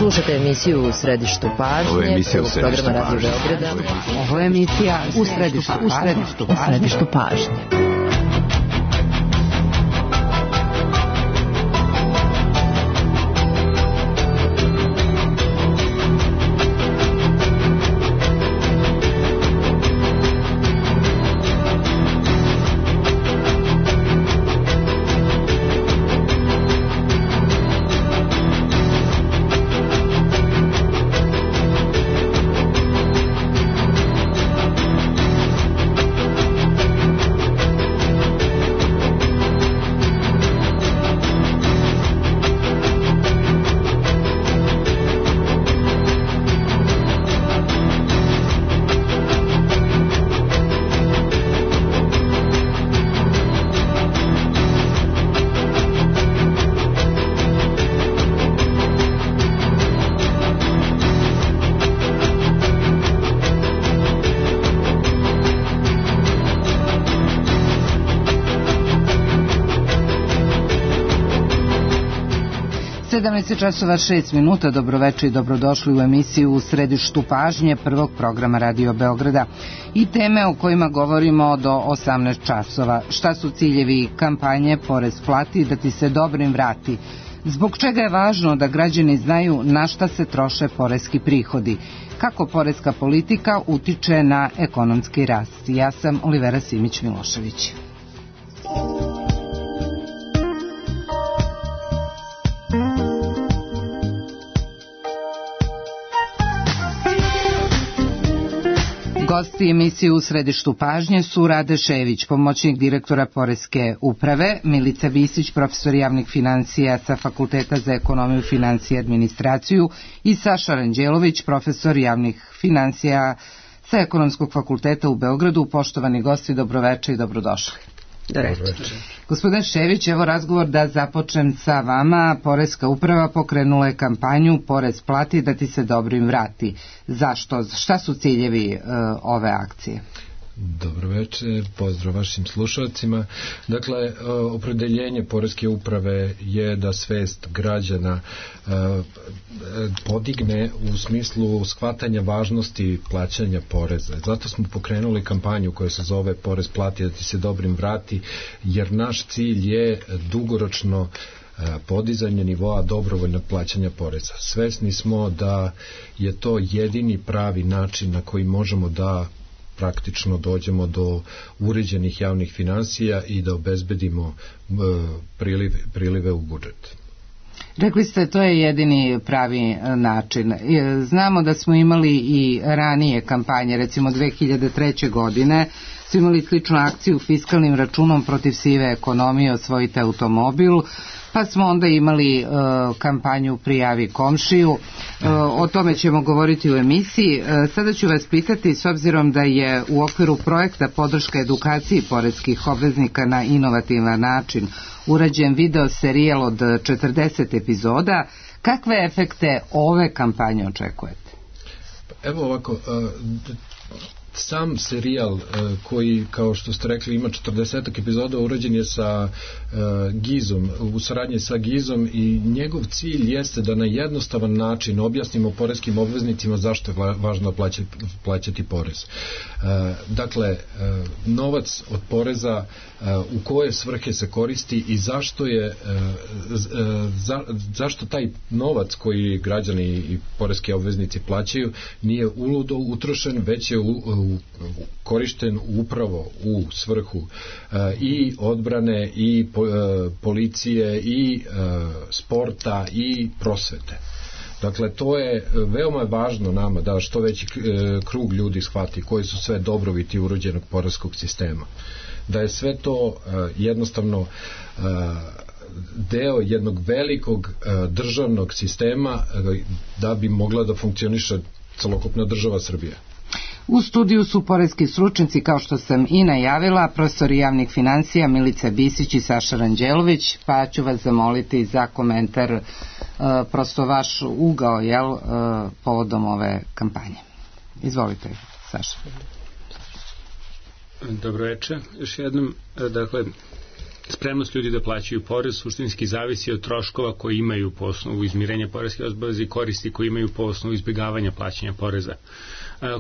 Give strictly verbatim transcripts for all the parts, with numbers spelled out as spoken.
Slušajte emisiju U središtu pažnje. Ovo je emisija U središtu pažnje. Ovo je emisija U središtu, u središtu, u središtu pažnje. sedamnaest časova šest minuta, dobroveče i dobrodošli u emisiju U središtu pažnje prvog programa Radio Beograda i teme o kojima govorimo do osamnaest časova. Šta su ciljevi kampanje Porez plati da ti se dobrim vrati? Zbog čega je važno da građani znaju na šta se troše poreski prihodi? Kako poreska politika utiče na ekonomski rast? Ja sam Olivera Simić-Milošević. Gosti emisije U središtu pažnje su Rade Šević, pomoćnik direktora Poreske uprave, Milica Visić, profesor javnih finansija sa Fakulteta za ekonomiju, finansije i administraciju i Saša Ranđelović, profesor javnih finansija sa Ekonomskog fakulteta u Beogradu. Poštovani gosti, dobroveče i dobrodošli. Dobroveče. Gospodin Šević, evo razgovor da započnem sa vama. Poreska uprava pokrenula je kampanju Porez plati da ti se dobrim vrati. Zašto? Šta su ciljevi uh, ove akcije? Dobroveče, pozdrav vašim slušalcima. Dakle, opredeljenje Poreske uprave je da svest građana podigne u smislu shvatanja važnosti plaćanja poreza. Zato smo pokrenuli kampanju koja se zove Porez plati da ti se dobrim vrati, jer naš cilj je dugoročno podizanje nivoa dobrovoljnog plaćanja poreza. Svesni smo da je to jedini pravi način na koji možemo da praktično dođemo do uređenih javnih finansija i da obezbedimo e, prilive, prilive u budžet. Rekli ste, to je jedini pravi način. Znamo da smo imali i ranije kampanje, recimo dve hiljade treće. godine, smo imali sličnu akciju fiskalnim računom protiv sive ekonomije, osvojite automobil, pa smo onda imali uh, kampanju Prijavi komšiju. Uh, o tome ćemo govoriti u emisiji. Uh, sada ću vas pitati, s obzirom da je u okviru projekta podrška edukaciji poreskih obveznika na inovativan način urađen video serijal od četrdeset epizoda, kakve efekte ove kampanje očekujete? Evo ovako, uh, sam serijal uh, koji, kao što ste rekli, ima četrdeset epizoda, urađen je sa uh, Gizom, u saradnji sa Gizom, i njegov cilj jeste da na jednostavan način objasnimo poreskim obveznicima zašto je važno plaćati, plaćati porez. Uh, dakle, uh, novac od poreza, uh, u koje svrhe se koristi i zašto je uh, za, zašto taj novac koji građani i poreski obveznici plaćaju nije uludo utrošen, već je u korišten upravo u svrhu uh, i odbrane i po, uh, policije i uh, sporta i prosvete. Dakle, to je veoma važno nama da što veći uh, krug ljudi shvati koji su sve dobrobiti urođenog poreskog sistema. Da je sve to uh, jednostavno uh, deo jednog velikog uh, državnog sistema uh, da bi mogla da funkcioniše celokupna država Srbija. U studiju su poreski stručnjaci, kao što sam i najavila, profesori javnih finansija Milica Bisić i Saša Ranđelović, pa ću vas zamoliti za komentar, uh, prosto vaš ugao, jel, uh, povodom ove kampanje. Izvolite, Saša. Dobro večer. Još jednom, dakle, spremnost ljudi da plaćaju porez suštinski zavisi od troškova koji imaju po osnovu izmirenja poreskih obaveza i koristi koji imaju po osnovu izbjegavanja plaćanja poreza.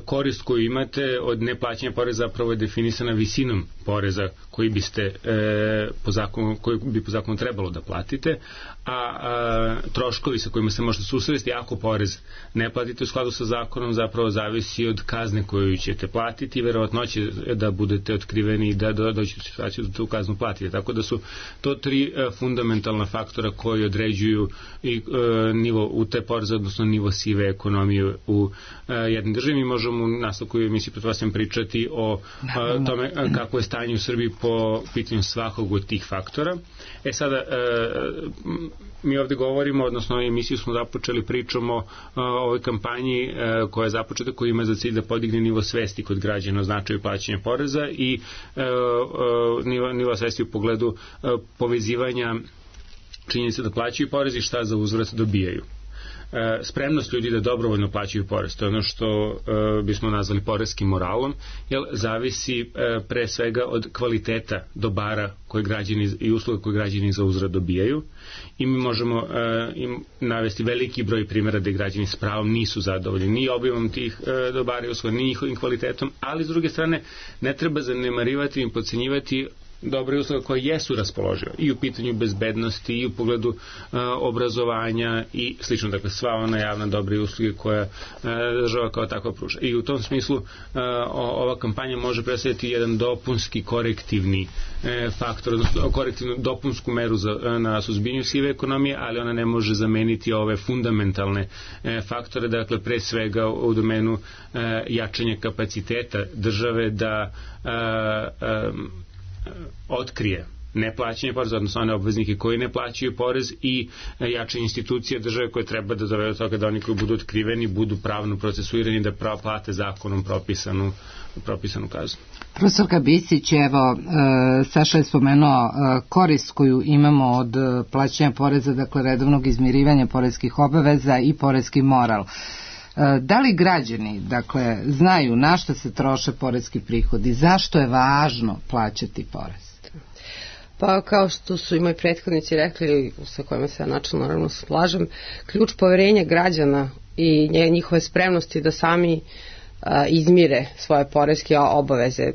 Korist koju imate od neplaćanja poreza zapravo je definisana visinom poreza koji biste e, po zakonu, koji bi po zakonu trebalo da platite, a, a troškovi sa kojima se možete susresti ako porez ne platite u skladu sa zakonom zapravo zavisi od kazne koju ćete platiti i verovatno će da budete otkriveni i da dođete u situaciju da tu kaznu platite. Tako da su to tri e, fundamentalna faktora koji određuju i e, nivo u te poreze, odnosno nivo sive ekonomije u e, jednom državi. Mi možemo u nastavku emisiji pretpostavljam pričati o a, tome a, kako je stanje u Srbiji po pitanju svakog od tih faktora. E sada, e, mi ovde govorimo, odnosno emisiju smo započeli pričom o, o ovoj kampanji e, koja je započeta, koja ima za cilj da podigne nivo svesti kod građana o značaju plaćanja poreza i e, e, nivo, nivo svesti u pogledu e, povezivanja činjenice da plaćaju porez i šta za uzvrat dobijaju. Spremnost ljudi da dobrovoljno plaćaju porez, to je ono što e, bismo nazvali poreskim moralom, jer zavisi e, pre svega od kvaliteta dobara koje građani i usluga koje građani za uzvrat dobijaju i mi možemo e, im navesti veliki broj primjera da građani s pravom nisu zadovoljni ni obimom tih e, dobara i usluga, ni njihovim kvalitetom, ali s druge strane ne treba zanemarivati i podcenjivati dobre usluge koje jesu raspoložive i u pitanju bezbednosti i u pogledu uh, obrazovanja i slično, dakle sva ona javna dobre usluge koja uh, država kao takva pruža. I u tom smislu uh, ova kampanja može predstavljati jedan dopunski korektivni uh, faktor, odnosno korektivnu dopunsku meru za, uh, na suzbijanju sive ekonomije, ali ona ne može zameniti ove fundamentalne uh, faktore, dakle pre svega u, u domenu uh, jačanja kapaciteta države da uh, um, otkrije neplaćanje poreza, odnosno one obveznike koji ne plaćaju porez i jačanje institucija države koje treba da dovede do toga da oni koji budu otkriveni budu pravno procesuirani da pravo plate zakonom propisanu, propisanu kaznu. Profesorka Bisić, evo, e, Saša je spomenuo e, korist koju imamo od plaćanja poreza, dakle redovnog izmirivanja poreskih obaveza i poreski moral. Da li građani, dakle, znaju na šta se troše poreski prihodi, zašto je važno plaćati porez? Pa kao što su i moji prethodnici rekli, sa kojima se ja načelno naravno slažem, ključ poverenja građana i njihove spremnosti da sami a, izmire svoje poreske obaveze,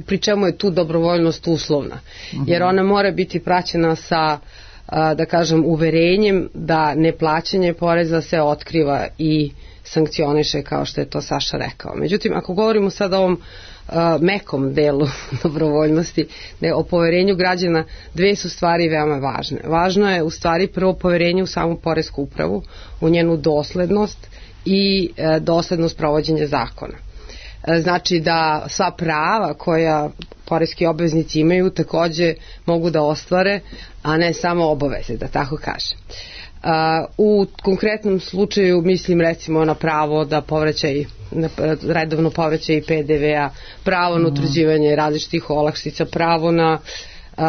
pri čemu je tu dobrovoljnost uslovna, jer ona mora biti praćena sa, a, da kažem, uverenjem da neplaćanje poreza se otkriva i sankcioniše, kao što je to Saša rekao. Međutim, ako govorimo sad o ovom uh, mekom delu dobrovoljnosti, da je o poverenju građana, dve su stvari veoma važne. Važno je u stvari prvo poverenje u samu poresku upravu, u njenu doslednost i uh, doslednost provođenja zakona. Uh, znači da sva prava koja poreski obveznici imaju takođe mogu da ostvare, a ne samo obaveze, da tako kažem. Uh, u konkretnom slučaju mislim recimo na pravo da povraćaj, na redovno povraćaj P D V-a, pravo na utvrđivanje različitih olakšica, pravo na uh,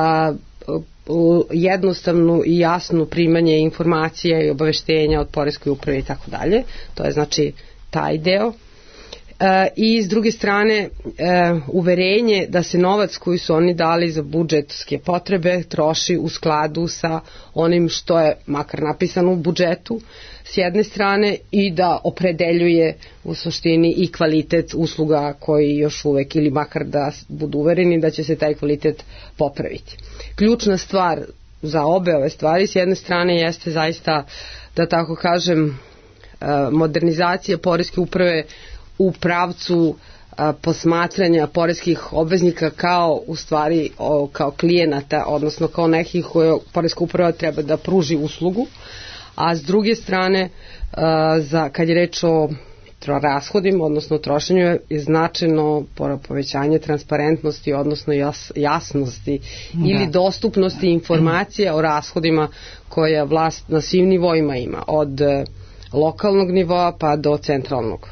jednostavnu i jasnu primanje informacija i obaveštenja od poreskoj uprave i tako dalje. To je znači taj deo. E, i s druge strane e, uverenje da se novac koji su oni dali za budžetske potrebe troši u skladu sa onim što je makar napisano u budžetu s jedne strane i da opredeljuje u suštini i kvalitet usluga koji još uvek ili makar da budu uvereni da će se taj kvalitet popraviti. Ključna stvar za obe ove stvari s jedne strane jeste zaista, da tako kažem, modernizacija poreske uprave u pravcu a, posmatranja poreskih obveznika kao u stvari o, kao klijenata, odnosno kao nekih koje poreska uprava treba da pruži uslugu, a s druge strane a, za, kad je reč o rashodima, odnosno trošenju, je značajno povećanje transparentnosti, odnosno jas, jasnosti da. ili dostupnosti informacija o rashodima koje vlast na svim nivoima ima, od lokalnog nivoa pa do centralnog.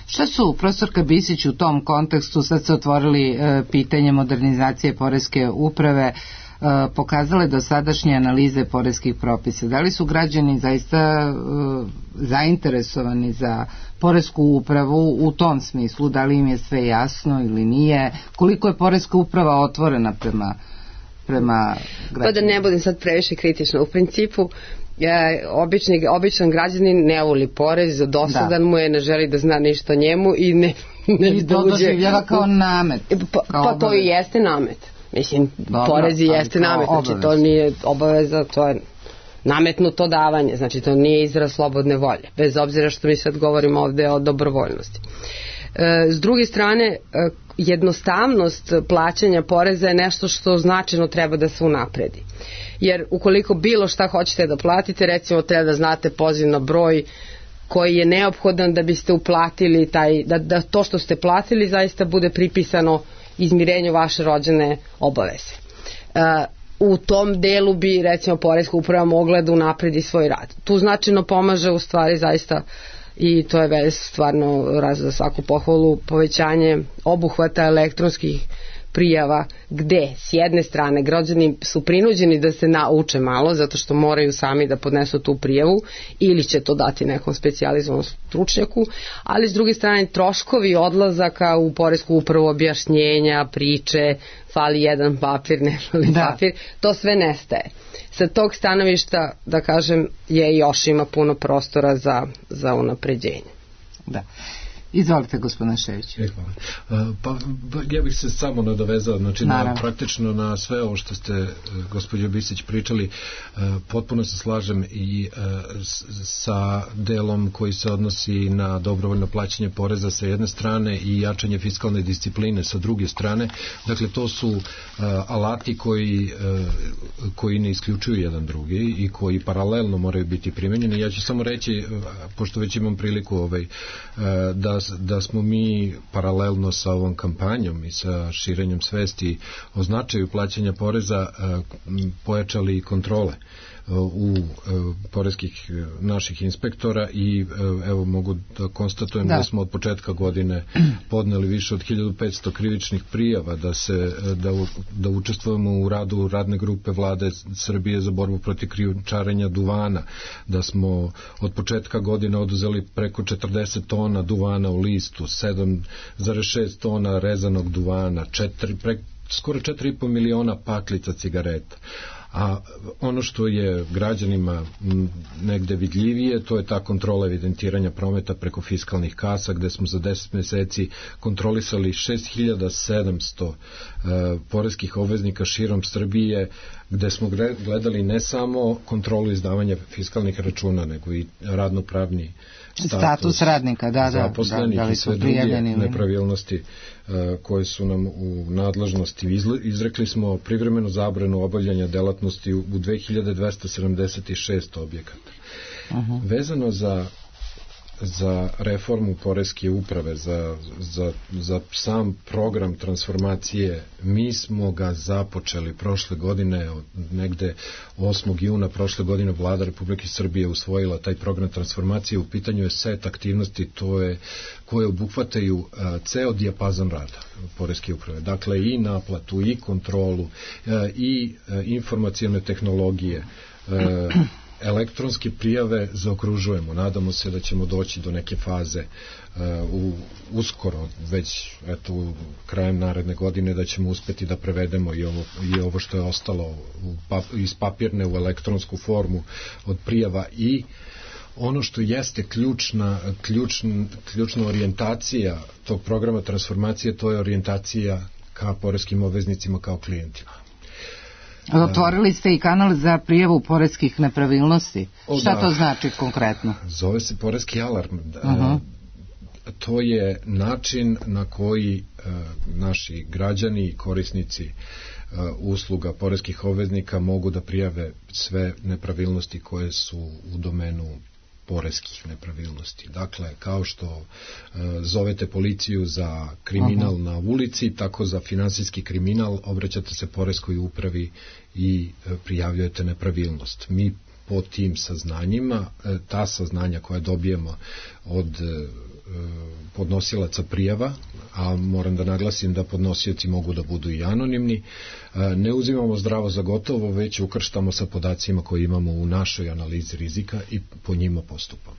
Šta su, profesorka Bisić, u tom kontekstu, sad se otvorili e, pitanje modernizacije poreske uprave, e, pokazale dosadašnje analize poreskih propisa? Da li su građani zaista e, zainteresovani za poresku upravu u tom smislu? Da li im je sve jasno ili nije? Koliko je poreska uprava otvorena prema prema građanima? Pa da ne budem sad previše kritična. U principu, Ja, obični, običan građanin ne voli porez, dosadan da. mu je, ne želi da zna ništa o njemu i ne, ne I to doživljava kao namet. Pa, kao pa to i jeste namet. Mislim, dobro, porez i jeste namet, znači obavez. To nije obaveza, to je nametnuto davanje, znači to nije izraz slobodne volje, bez obzira što mi sad govorimo ovde o dobrovoljnosti. E, s druge strane, jednostavnost plaćanja poreza je nešto što značajno treba da se unapredi. Jer ukoliko bilo šta hoćete da platite, recimo treba da znate poziv na broj koji je neophodan da biste uplatili taj, da, da to što ste platili zaista bude pripisano izmirenju vaše rođene obaveze. E, u tom delu bi recimo poreska uprava mogla da unapredi svoj rad. Tu značajno pomaže u stvari zaista i to je već stvarno raz za svaku pohvalu povećanje obuhvata elektronskih prijava, gde s jedne strane građani su prinuđeni da se nauče malo zato što moraju sami da podnesu tu prijavu ili će to dati nekom specijalizovanom stručnjaku, ali s druge strane troškovi odlazaka u poresku upravu, objašnjenja, priče, fali jedan papir, ne fali da. papir, to sve nestaje. Sa tog stanovišta, da kažem, je još ima puno prostora za, za unapređenje. Da. Izvolite, gospodine Šević. E, hvala. Pa, ja bih se samo nadovezao, znači na, praktično na sve ovo što ste, gospođo Bisić, pričali, potpuno se slažem i sa delom koji se odnosi na dobrovoljno plaćanje poreza sa jedne strane i jačanje fiskalne discipline sa druge strane. Dakle, to su alati koji, koji ne isključuju jedan drugi i koji paralelno moraju biti primenjeni. Ja ću samo reći, pošto već imam priliku ovaj, da da smo mi paralelno sa ovom kampanjom i sa širenjem svesti o značaju plaćanja poreza pojačali kontrole u poreskih naših inspektora i evo mogu da konstatujem da, da smo od početka godine podneli više od hiljadu petsto krivičnih prijava da se da, da učestvujemo u radu radne grupe Vlade Srbije za borbu protiv krijumčarenja duvana, da smo od početka godine oduzeli preko četrdeset tona duvana u listu, sedam zarez šest tona rezanog duvana, četiri, pre, skoro četiri i po miliona paklica cigareta. A ono što je građanima negde vidljivije, to je ta kontrola evidentiranja prometa preko fiskalnih kasa, gde smo za deset meseci kontrolisali šest hiljada sedamsto uh, poreskih obveznika širom Srbije, gde smo gledali ne samo kontrolu izdavanja fiskalnih računa, nego i radnopravni status, status radnika, da, da, zaposlenih da, da i sve druge nepravilnosti uh, koje su nam u nadležnosti. Izrekli smo privremenu zabranu obavljanja delatnosti u dve hiljade dvesta sedamdeset šest objekata. Uh-huh. Vezano za za reformu poreske uprave, za, za, za sam program transformacije, mi smo ga započeli prošle godine, negde osmog juna prošle godine Vlada Republike Srbije usvojila taj program transformacije. U pitanju je set aktivnosti to je, koje obuhvataju a, ceo dijapazon rada poreske uprave. Dakle, i naplatu, i kontrolu, a, i a, informacione tehnologije, a, elektronske prijave zaokružujemo. Nadamo se da ćemo doći do neke faze uh, u, uskoro, već eto, u krajem naredne godine da ćemo uspeti da prevedemo i ovo, i ovo što je ostalo u pap, iz papirne u elektronsku formu od prijava i ono što jeste ključna, ključn, ključna orijentacija tog programa transformacije, to je orijentacija ka poreskim obveznicima kao klijentima. Otvorili ste i kanal za prijavu poreskih nepravilnosti. O, Šta da. to znači konkretno? Zove se poreski alarm. Uh-huh. To je način na koji uh, naši građani i korisnici uh, usluga poreskih obveznika mogu da prijave sve nepravilnosti koje su u domenu poreskih nepravilnosti. Dakle, kao što e, zovete policiju za kriminal Aha. na ulici, tako za finansijski kriminal obraćate se poreskoj upravi i e, prijavljujete nepravilnost. Mi po tim saznanjima, e, ta saznanja koja dobijemo od e, podnosilaca prijava, a moram da naglasim da podnosioci mogu da budu i anonimni, ne uzimamo zdravo za gotovo, već ukrštamo sa podacima koje imamo u našoj analizi rizika i po njima postupamo.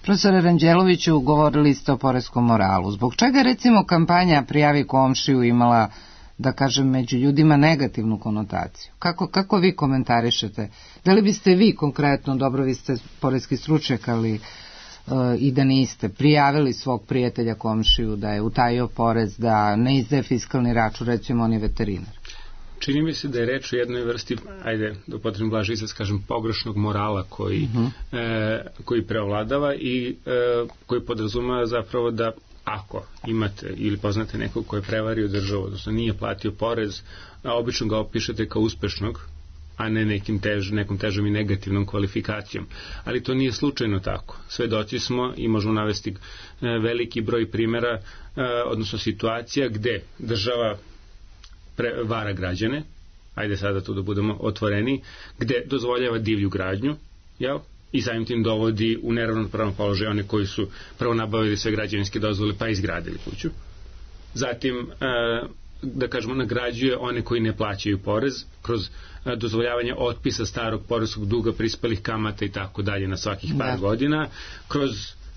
Profesore Ranđeloviću, govorili ste o poreskom moralu. Zbog čega recimo kampanja Prijavi komšiju imala da kažem, među ljudima negativnu konotaciju. Kako, kako vi komentarišete? Da li biste vi konkretno, dobro, vi ste poreski stručnjak, ali uh, i da niste, prijavili svog prijatelja komšiju da je utajio porez, da ne izdaje fiskalni račun, recimo on je veterinar? Čini mi se da je reč o jednoj vrsti, ajde, da upotrebim blaži izraz, kažem, pogrešnog morala koji, uh-huh. e, koji preovladava i e, koji podrazumeva zapravo da ako imate ili poznate nekog ko je prevario državu, odnosno nije platio porez, a obično ga opišete kao uspešnog, a ne nekim tež, nekom težom i negativnom kvalifikacijom. Ali to nije slučajno tako. Svedoci smo i možemo navesti e, veliki broj primjera, e, odnosno situacija gde država Pre, vara građane, ajde sada tu da budemo otvoreni, gde dozvoljava divlju gradnju, jel? I samim tim dovodi u neravnopravan položaj one koji su prvo nabavili sve građevinske dozvole pa izgradili kuću. Zatim, e, da kažemo, nagrađuje one koji ne plaćaju porez kroz e, dozvoljavanje otpisa starog poreskog duga, prispelih kamata i tako dalje na svakih par da. godina, kroz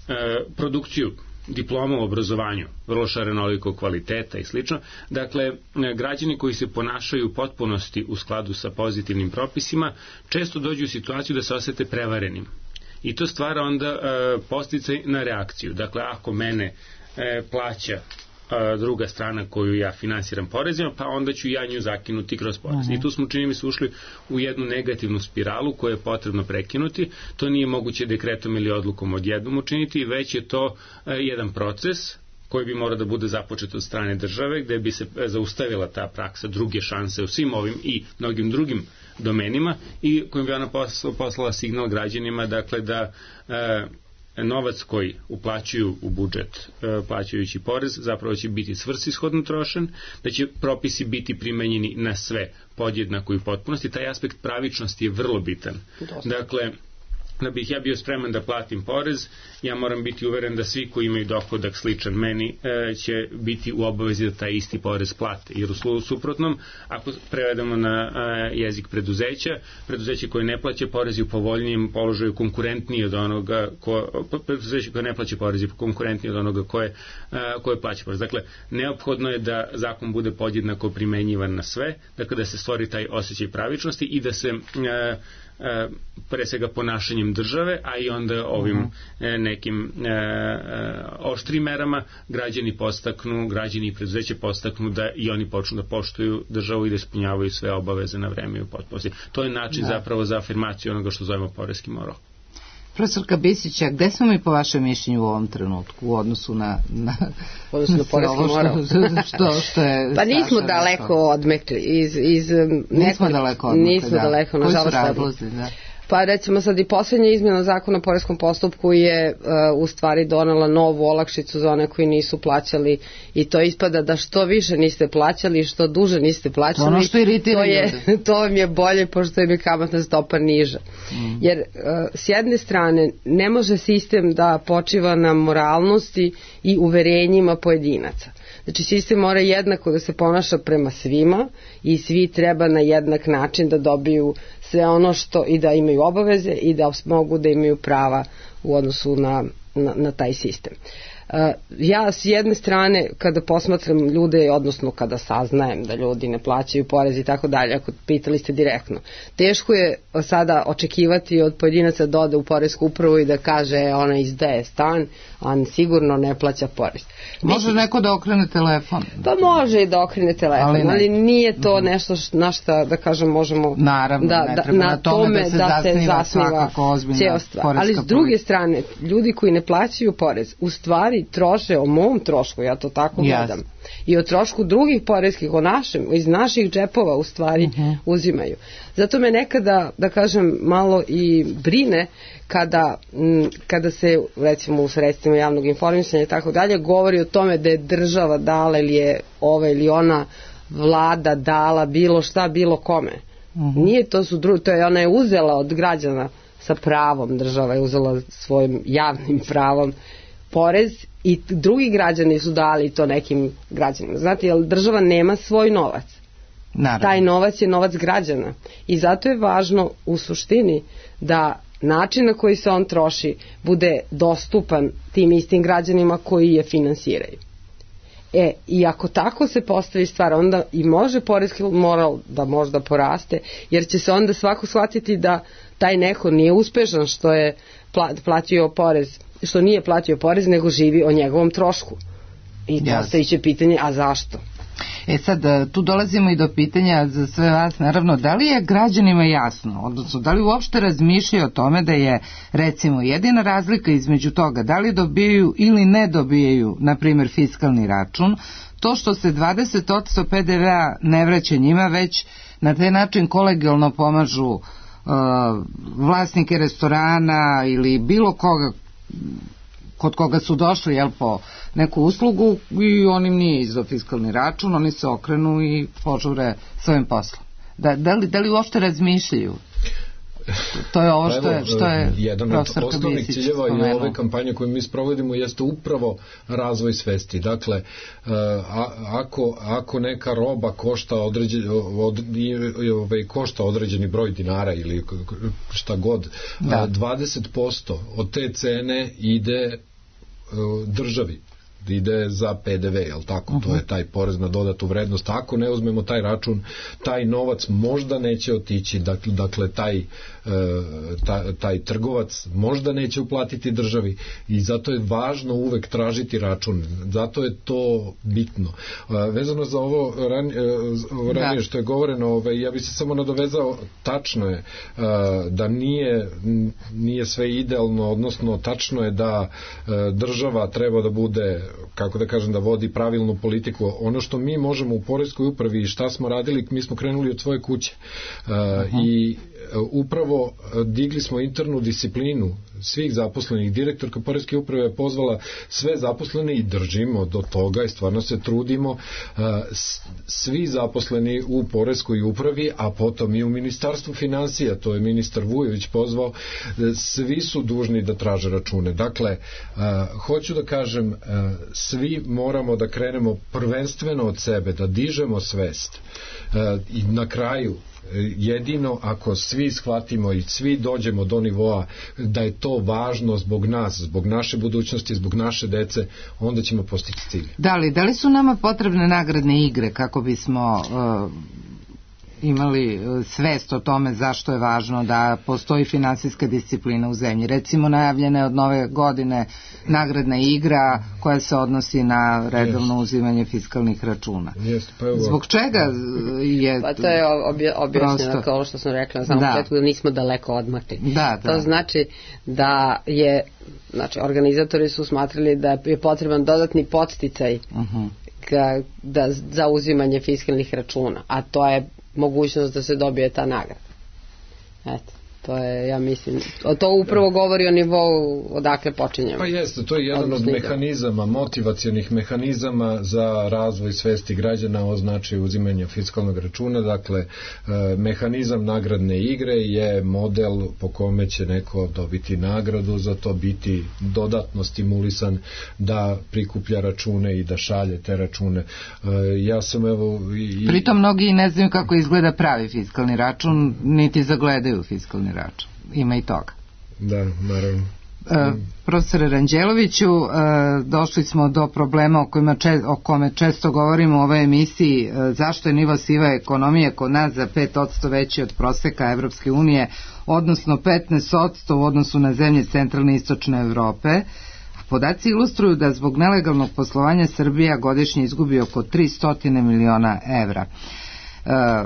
e, produkciju diploma u obrazovanju, vrlo šarenolikog kvaliteta i slično. Dakle, građani koji se ponašaju u potpunosti u skladu sa pozitivnim propisima često dođu u situaciju da se osete prevarenim. I to stvara onda e, podsticaj na reakciju. Dakle, ako mene e, plaća druga strana koju ja finansiram porezima, pa onda ću ja nju zakinuti kroz porez. Uh-huh. I tu smo, čini mi se, ušli u jednu negativnu spiralu koju je potrebno prekinuti. To nije moguće dekretom ili odlukom odjednom učiniti, već je to uh, jedan proces koji bi mora da bude započet od strane države, gde bi se zaustavila ta praksa druge šanse u svim ovim i mnogim drugim domenima i kojim bi ona poslala, poslala signal građanima, dakle da uh, novac koji uplaćuju u budžet e, plaćajući porez zapravo će biti svrsishodno trošen, da će propisi biti primenjeni na sve podjednako i u potpunosti. Taj aspekt pravičnosti je vrlo bitan. Dosta. Dakle, da bih ja bio spreman da platim porez, ja moram biti uveren da svi koji imaju dohodak sličan meni e, će biti u obavezi da taj isti porez plate. Jer u suprotnom, ako prevedemo na e, jezik preduzeća, preduzeće koje ne plaća porez je u povoljnijem položaju konkurentniji od onoga ko, preduzeće koje ne plaća porez je konkurentniji od onoga koje, e, koje plaća porez. Dakle, neophodno je da zakon bude podjednako primenjivan na sve, dakle da se stvori taj osjećaj pravičnosti i da se e, pre svega ponašanjem države, a i onda ovim uh-huh. nekim e, oštrim merama građani postaknu, građani i preduzeće postaknu da i oni počnu da poštuju državu i da ispunjavaju sve obaveze na vreme i u potpunosti. To je način da. zapravo za afirmaciju onoga što zovemo poreski moral. Profesorka Bisića, gde smo mi po vašem mišljenju u ovom trenutku u odnosu na, na, odnosu na poreski moral? Što, što, što je pa nismo daleko odmekli. Iz, iz nismo daleko odmekli, nismo da. daleko, Koji nažalost. su razlozi, da? Pa recimo sad i posljednja izmjena zakona o poreskom postupku je uh, u stvari donela novu olakšicu za one koji nisu plaćali i to ispada da što više niste plaćali, što duže niste plaćali, ono što to, je, to vam je bolje pošto im je kamatna stopa niža. Mm. Jer uh, s jedne strane ne može sistem da počiva na moralnosti i uverenjima pojedinaca. Znači sistem mora jednako da se ponaša prema svima i svi treba na jednak način da dobiju sve ono što i da imaju obaveze i da mogu da imaju prava u odnosu na, na, na taj sistem. Uh, ja s jedne strane kada posmatram ljude, odnosno kada saznajem da ljudi ne plaćaju porez i tako dalje, ako pitali ste direktno, teško je sada očekivati od pojedinaca da ode u poresku upravu i da kaže ona izdaje stan, a sigurno ne plaća porez. Može Mislim, neko da okrene telefon? Pa može i da okrene telefon, ali, ali nije to nešto š, na šta da kažem možemo Naravno, da, ne da, treba na, na tome da se, da se zasniva cijela stvar. Ali s druge strane, ljudi koji ne plaćaju porez, u stvari troše o mom trošku, ja to tako gledam, yes. i o trošku drugih poreskih, o našem, iz naših džepova u stvari uh-huh. uzimaju. Zato me nekada, da kažem, malo i brine kada, m, kada se, recimo u sredstvima javnog informisanja i tako dalje, govori o tome da je država dala ili je ova ili ona vlada dala bilo šta, bilo kome. Uh-huh. Nije, to su dru, to je, ona je uzela od građana sa pravom, država je uzela svojim javnim pravom porez i drugi građani su dali to nekim građanima. Znate, jer država nema svoj novac. Naravno. Taj novac je novac građana. I zato je važno u suštini da način na koji se on troši bude dostupan tim istim građanima koji je finansiraju. E, i ako tako se postavi stvar, onda i može poreski moral da možda poraste, jer će se onda svako shvatiti da taj neko nije uspešan što je platio porez, što nije platio porez, nego živi o njegovom trošku. I postavit će pitanje, a zašto? E sad, tu dolazimo i do pitanja za sve vas, naravno, da li je građanima jasno, odnosno da li uopšte razmišljaju o tome da je, recimo, jedina razlika između toga da li dobijaju ili ne dobijaju, na primjer, fiskalni račun, to što se dvadeset posto pe de ve-a ne vraća njima, već na taj način kolegijalno pomažu uh, vlasnike restorana ili bilo koga kod koga su došli, jel, po neku uslugu i on im nije izdao fiskalni račun, oni se okrenu i požure svojim poslom. Da, da, li, da li uopšte razmišljaju? To je ovo što je, što je jedan od osnovnih ciljeva i ove kampanje koje mi sprovodimo jeste upravo razvoj svesti. Dakle, a, ako, ako neka roba košta određen, od, ove, košta određeni broj dinara ili šta god, da. dvadeset posto od te cene ide državi, ide za pe de ve, jel tako? Uh-huh. To je taj porez na dodatu vrednost. Ako ne uzmemo taj račun, taj novac možda neće otići, dakle, dakle taj, e, taj, taj trgovac možda neće uplatiti državi i zato je važno uvek tražiti račun. Zato je to bitno. E, vezano za ovo ran, e, ranije da. što je govoreno, ovaj, ja bih se samo nadovezao, tačno je e, da nije, nije sve idealno, odnosno tačno je da e, država treba da bude, kako da kažem, da vodi pravilnu politiku. Ono što mi možemo u poreskoj upravi i šta smo radili, mi smo krenuli od svoje kuće uh, uh-huh. i upravo digli smo internu disciplinu svih zaposlenih. Direktorka poreske uprave je pozvala sve zaposlene i držimo do toga i stvarno se trudimo. Svi zaposleni u poreskoj upravi, a potom i u Ministarstvu finansija, to je ministar Vujović pozvao, svi su dužni da traže račune. Dakle, hoću da kažem, svi moramo da krenemo prvenstveno od sebe, da dižemo svest i na kraju jedino ako svi shvatimo i svi dođemo do nivoa da je to važno zbog nas, zbog naše budućnosti, zbog naše dece, onda ćemo postići cilj. Da li, da li su nama potrebne nagradne igre kako bismo uh, imali svest o tome zašto je važno da postoji finansijska disciplina u zemlji? Recimo, najavljena je od nove godine nagradna igra koja se odnosi na redovno yes. uzimanje fiskalnih računa. Yes, pa evo. Zbog čega je... Pa to je obje, objašnjeno kao što sam rekla na samom da. početku, da nismo daleko odmakli. Da, da. To znači da je, znači, organizatori su smatrali da je potreban dodatni podsticaj uh-huh. ka, da, za uzimanje fiskalnih računa, a to je mogućnost da se dobije ta nagrada. Eto, to je, ja mislim, to upravo govori o nivou odakle počinjemo. Pa jeste, to je jedan od mehanizama, motivacionih mehanizama za razvoj svesti građana o značaju uzimanja fiskalnog računa. Dakle, mehanizam nagradne igre je model po kome će neko dobiti nagradu, za to biti dodatno stimulisan da prikuplja račune i da šalje te račune. Ja sam evo... I... Pritom mnogi ne znaju kako izgleda pravi fiskalni račun, niti zagledaju fiskalni račun. Ima i toga. Da, naravno. E, profesore Ranđeloviću, e, došli smo do problema o, kojima če, o kome često govorimo u ovoj emisiji, e, zašto je nivo sive ekonomije kod nas za pet posto veći od proseka Evropske unije, odnosno petnaest posto u odnosu na zemlje centralne i istočne Evrope. A podaci ilustruju da zbog nelegalnog poslovanja Srbija godišnje izgubi oko tristo miliona evra. E,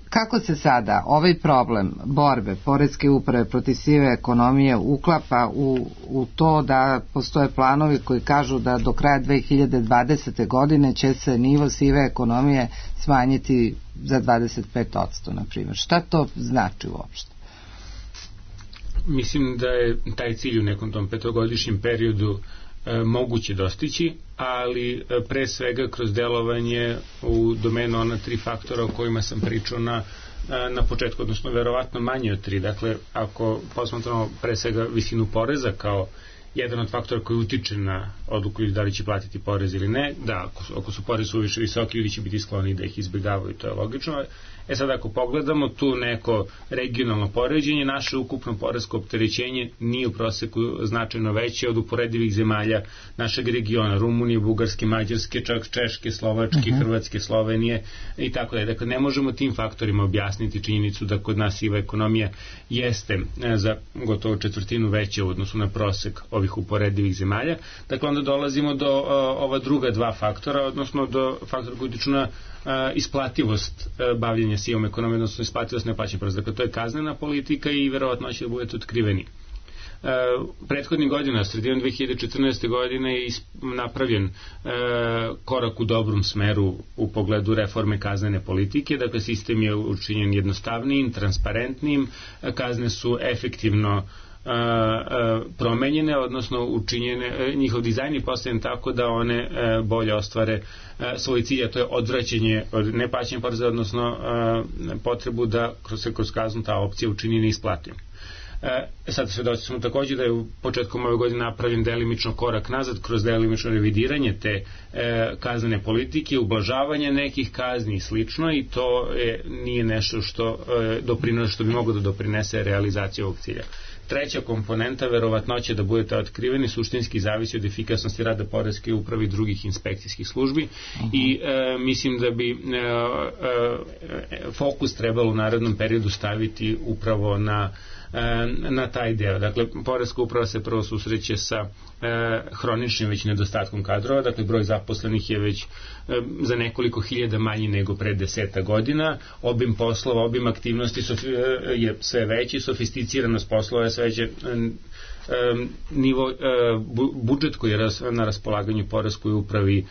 Kako se sada ovaj problem borbe poreske uprave protiv sive ekonomije uklapa u, u to da postoje planovi koji kažu da do kraja dve hiljade dvadesete. godine će se nivo sive ekonomije smanjiti za dvadeset pet posto, na primjer. Šta to znači uopšte? Mislim da je taj cilj u nekom tom petogodišnjem periodu e, moguće dostići, ali e, pre svega kroz delovanje u domenu ona tri faktora o kojima sam pričao na, na početku, odnosno verovatno manje od tri. Dakle, ako posmatramo pre svega visinu poreza kao jedan od faktora koji utiče na odluku da li će platiti porez ili ne. Da, ako su, ako su porez suviše visoki, ljudi će biti skloni da ih izbjegavaju, to je logično. E sad, ako pogledamo tu neko regionalno poređenje, naše ukupno poresko opterećenje nije u proseku značajno veće od uporedivih zemalja našeg regiona, Rumunije, Bugarske, Mađarske, čak Češke, Slovačke, uh-huh. Hrvatske, Slovenije i tako da. Dakle, ne možemo tim faktorima objasniti činjenicu da kod nas siva ekonomija jeste za gotovo četvrtinu veća u odnosu na prosek ovih uporedivih zemalja. Dakle, onda dolazimo do uh, ova druga dva faktora, odnosno do faktora koji utiču na Uh, isplativost uh, bavljenja sivom ekonomijom, odnosno isplativost neplaćanja poreza. Dakle, to je kaznena politika i verovatno će da budete otkriveni. Uh, prethodnih godina, sredinom dve hiljade četrnaeste. godine je napravljen uh, korak u dobrom smeru u pogledu reforme kaznene politike. Dakle, sistem je učinjen jednostavnijim, transparentnijim, kazne su efektivno A, a, promenjene, odnosno učinjene, njihov dizajn je postavljen tako da one a, bolje ostvare a, svoj cilj, a to je odvraćanje od neplaćanja poreza, odnosno a, potrebu da kroz, kroz kaznu ta opcija učini neisplatim. E, sad svedoci smo također da je u početkom ove godine napravljen delimično korak nazad kroz delimično revidiranje te e, kaznene politike, ublažavanje nekih kazni i slično, i to je, nije nešto što e, doprinose, što bi moglo da doprinese realizaciji ovog cilja. Treća komponenta, verovatnoće da budete otkriveni, suštinski zavisi od efikasnosti rada poreske uprave i drugih inspekcijskih službi. Uh-huh. I e, mislim da bi e, e, fokus trebalo u narednom periodu staviti upravo na na taj deo. Dakle, poreska uprava se prvo susreće sa e, hroničnim već nedostatkom kadrova, dakle broj zaposlenih je već e, za nekoliko hiljada manji nego pre deseta godina, obim poslova, obim aktivnosti sof, e, je sve veći, sofisticiranost poslova je sve veće, e, nivo, budžet koji je na raspolaganju poreskoj upravi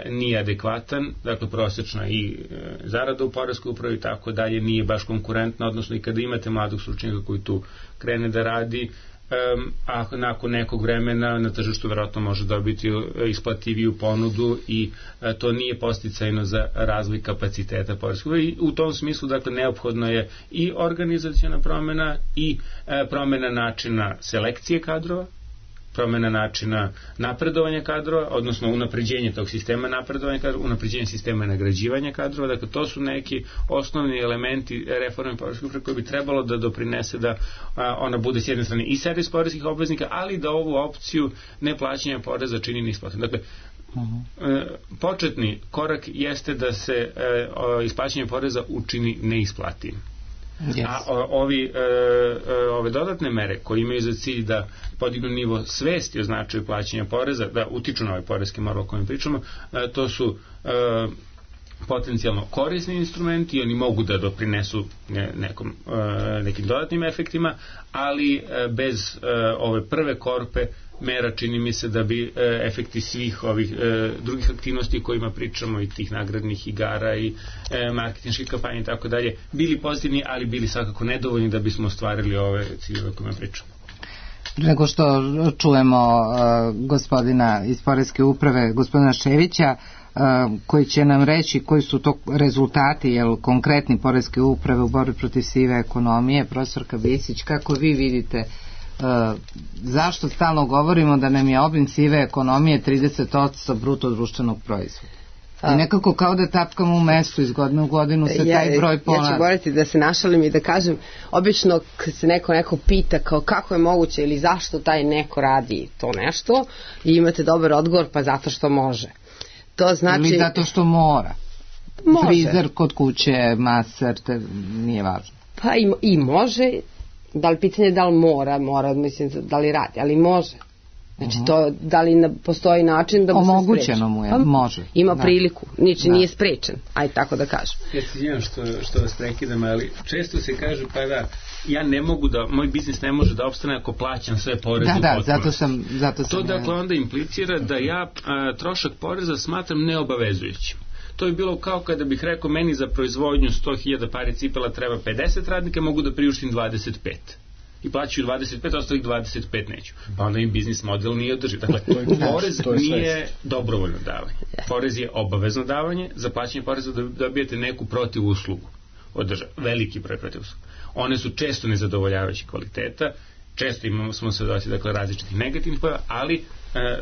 nije adekvatan, dakle prosečna i zarada u poreskoj upravi tako dalje nije baš konkurentna, odnosno i kada imate mladog stručnjaka koji tu krene da radi, a nakon nekog vremena na tržištu verovatno može dobiti isplativiju ponudu i to nije podsticajno za razvoj kapaciteta poreske uprave. I u tom smislu, dakle, neophodno je i organizaciona promena i promena načina selekcije kadrova, promena načina napredovanja kadrova, odnosno unapređenje tog sistema napredovanja kadrova, unapređenje sistema nagrađivanja kadrova. Dakle, to su neki osnovni elementi reforme poreske uprave koji bi trebalo da doprinese da a, ona bude s jedne strane i servis poreskih obveznika, ali da ovu opciju neplaćanja poreza čini neisplatom. Dakle, uh-huh. početni korak jeste da se e, o, isplaćanje poreza učini neisplativim. Yes. A o, ovi, e, e, ove dodatne mere koje imaju za cilj da podignu nivo svesti o značaju plaćanja poreza, da utiču na ovaj poreski moral o kojem pričamo, e, to su e, potencijalno korisni instrumenti, oni mogu da doprinesu ne, nekom, e, nekim dodatnim efektima, ali e, bez e, ove prve korpe mera čini mi se da bi e, efekti svih ovih e, drugih aktivnosti o kojima pričamo i tih nagradnih igara i e, marketinških kampanja i tako dalje bili pozitivni, ali bili svakako nedovoljni da bismo ostvarili ove ciljeve o kojima pričamo. Nego što čujemo uh, gospodina iz poreske uprave, gospodina Ševića, uh, koji će nam reći koji su to rezultati, jel, konkretni poreske uprave u borbi protiv sive ekonomije. Profesorka Bisić, kako vi vidite Uh, zašto stalno govorimo da nam je obim sive ekonomije trideset posto bruto društvenog proizvoda? I nekako kao da tapkamo u mestu, iz godine u godinu se ja, taj broj ponavlja. Ja ću govoriti da se našalim i da kažem, obično kad se neko neko pita kao kako je moguće ili zašto taj neko radi to nešto i imate dobar odgovor, pa zato što može. To znači... Ili zato što mora. Može. Frizer kod kuće, maser, te nije važno. Pa i, i može. Da li pitanje da li mora, mora, mislim, da li radi, ali može. Znači, uh-huh. to, da li na, postoji način da mu se spreči? Omogućeno mu je, pa, može. Ima da. priliku, niči da. Nije sprečen, ajde tako da kažem. Ja se izvinjam što, što vas prekidam, ali često se kaže, pa da, ja ne mogu da, moj biznis ne može da opstane ako plaćam sve poreze da, u da, potpunosti. zato sam, zato sam to dakle onda implicira da ja a, trošak poreza smatram neobavezujućim. To je bilo kao kada bih rekao meni za proizvodnju sto hiljada pari cipela treba pedeset radnika, mogu da priuštim dvadeset pet. I plaćaju dvadeset pet, ostalih dvadeset pet neću. Pa onda im biznis model nije održiv. Dakle, porez nije dobrovoljno davanje. Porez je obavezno davanje. Za plaćanje poreza dobijete neku protiv uslugu od države. Veliki broj protiv usluga. One su često nezadovoljavajući kvaliteta često imamo smo se doći dakle različitih negativnih pojava, ali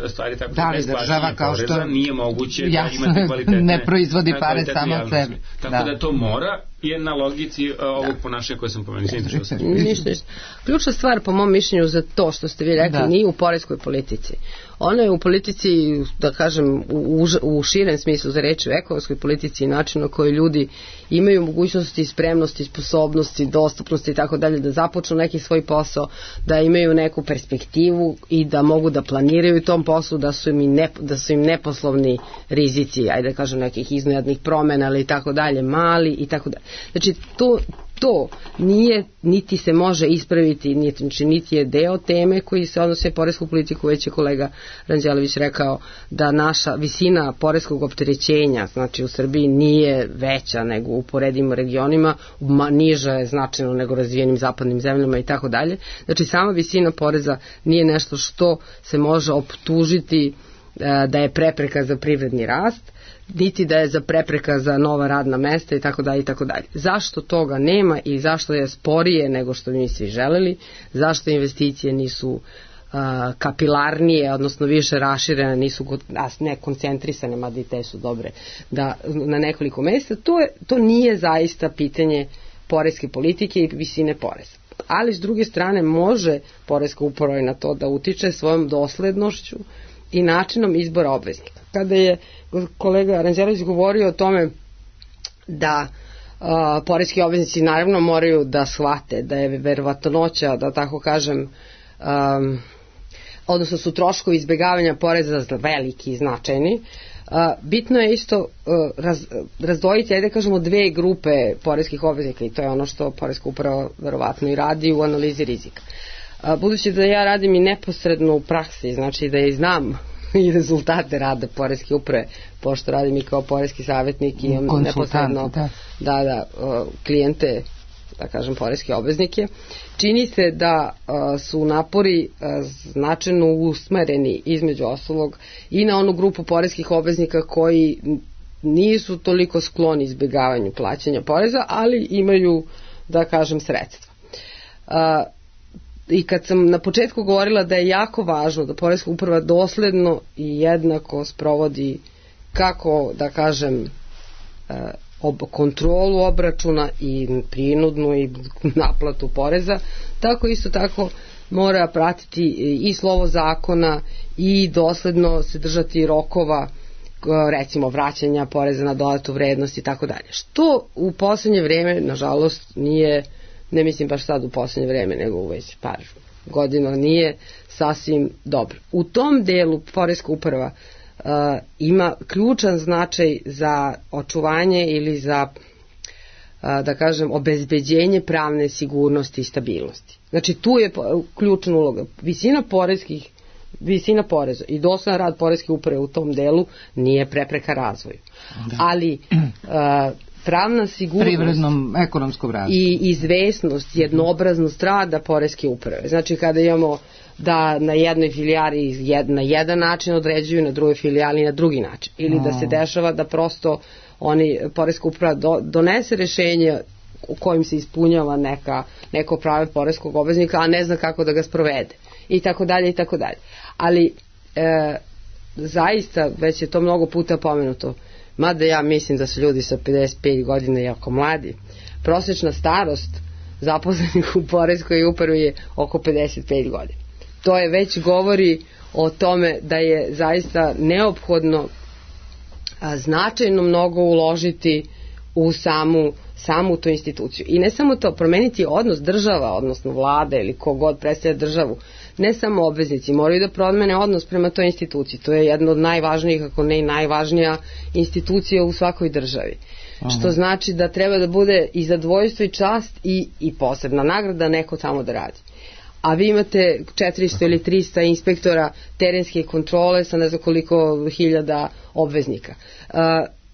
stvari tako da li država kao poreza, što nije moguće jasno, da imate kvalitetne ne proizvodi pare samo od sebe. Tako da. da to mora je na logici uh, ovog da. ponašanja koje sam pomenuo. Ništa, ništa. Ključna stvar po mom mišljenju za to što ste vi rekli da. nije u poreskoj politici. Ona je u politici, da kažem, u, u širem smislu za reći, u ekonomskoj politici i načinu na koji ljudi imaju mogućnosti, spremnosti, sposobnosti, dostupnosti i tako dalje, da započnu neki svoj posao, da imaju neku perspektivu i da mogu da planiraju u tom poslu, da su im, ne, da su im neposlovni rizici, ajde da kažem nekih iznenadnih promena ili tako dalje, mali i tako dalje. Znači, to, to nije, niti se može ispraviti, niti, znači, niti je deo teme koji se odnose poresku politiku, već je kolega Ranđelović rekao da naša visina poreskog opterećenja, znači u Srbiji nije veća nego u poredimo regionima, niža je značajno nego razvijenim zapadnim zemljama i tako dalje. Znači, sama visina poreza nije nešto što se može optužiti da je prepreka za privredni rast, niti da je za prepreka za nova radna mesta i tako dalje i tako dalje. Zašto toga nema i zašto je sporije nego što mi svi želeli, zašto investicije nisu uh, kapilarnije, odnosno više raširene, nisu ne koncentrisane, mada i te su dobre, da na nekoliko mesta, to, je, to nije zaista pitanje poreske politike i visine poreza. Ali s druge strane može poreska uprava i na to da utiče svojom doslednošću i načinom izbora obveznika. Kada je kolega Ranđelović govorio o tome da uh, poreski obveznici naravno moraju da shvate da je verovatnoća, da tako kažem, um, odnosno su troškovi izbjegavanja poreza veliki i značajni, uh, bitno je isto uh, raz, razdvojiti, ajde kažemo, dve grupe poreskih obveznika i to je ono što poreska uprava verovatno i radi u analizi rizika. Budući da ja radim i neposredno u praksi, znači da ja znam i rezultate rada poreske uprave, pošto radim i kao poreski savjetnik i imam neposredno da. Da, da, klijente, da kažem, poreske obveznike, čini se da su napori značajno usmereni između ostalog i na onu grupu poreskih obveznika koji nisu toliko skloni izbjegavanju plaćanja poreza, ali imaju, da kažem, sredstva. I kad sam na početku govorila da je jako važno da poreska uprava dosledno i jednako sprovodi kako, da kažem, ob, kontrolu obračuna i prinudnu i naplatu poreza, tako isto tako mora pratiti i slovo zakona i dosledno se držati rokova, recimo vraćanja poreza na dodatu vrednost i tako dalje. Što u poslednje vreme, nažalost, nije, ne mislim baš sad u poslednje vreme, nego u već par godina, nije sasvim dobro. U tom delu poreska uprava uh, ima ključan značaj za očuvanje ili za, uh, da kažem, obezbeđenje pravne sigurnosti i stabilnosti. Znači, tu je ključna uloga. Visina poreskih visina poreza i dosledan rad poreske uprave u tom delu nije prepreka razvoju. Da. Ali uh, pravna sigurnost privrednom ekonomskom razvoju i izvesnost, jednoobraznost rada poreske uprave. Znači, kada imamo da na jednoj filijali jed, na jedan način određuju, na drugoj filijali na drugi način. Ili da se dešava da prosto oni, poreska uprava do, donese rešenje u kojim se ispunjava neka, neko pravo poreskog obveznika, a ne zna kako da ga sprovede. I tako dalje, i tako dalje. Ali e, zaista, već je to mnogo puta pomenuto, mada ja mislim da su ljudi sa pedeset pet godina jako mladi. Prosječna starost zaposlenih u poreskoj upravi je oko pedeset pet godina. To je već govori o tome da je zaista neophodno a, značajno mnogo uložiti u samu, samu tu instituciju. I ne samo to, promeniti odnos država, odnosno vlada ili kogod predstavlja državu, ne samo obveznici, moraju da promene odnos prema toj instituciji. To je jedna od najvažnijih, ako ne i najvažnija institucija u svakoj državi. Aha. Što znači da treba da bude i zadovoljstvo i čast i, i posebna nagrada neko tamo da radi. A vi imate četiristo ili trista inspektora terenske kontrole sa ne znam koliko hiljada obveznika. Uh,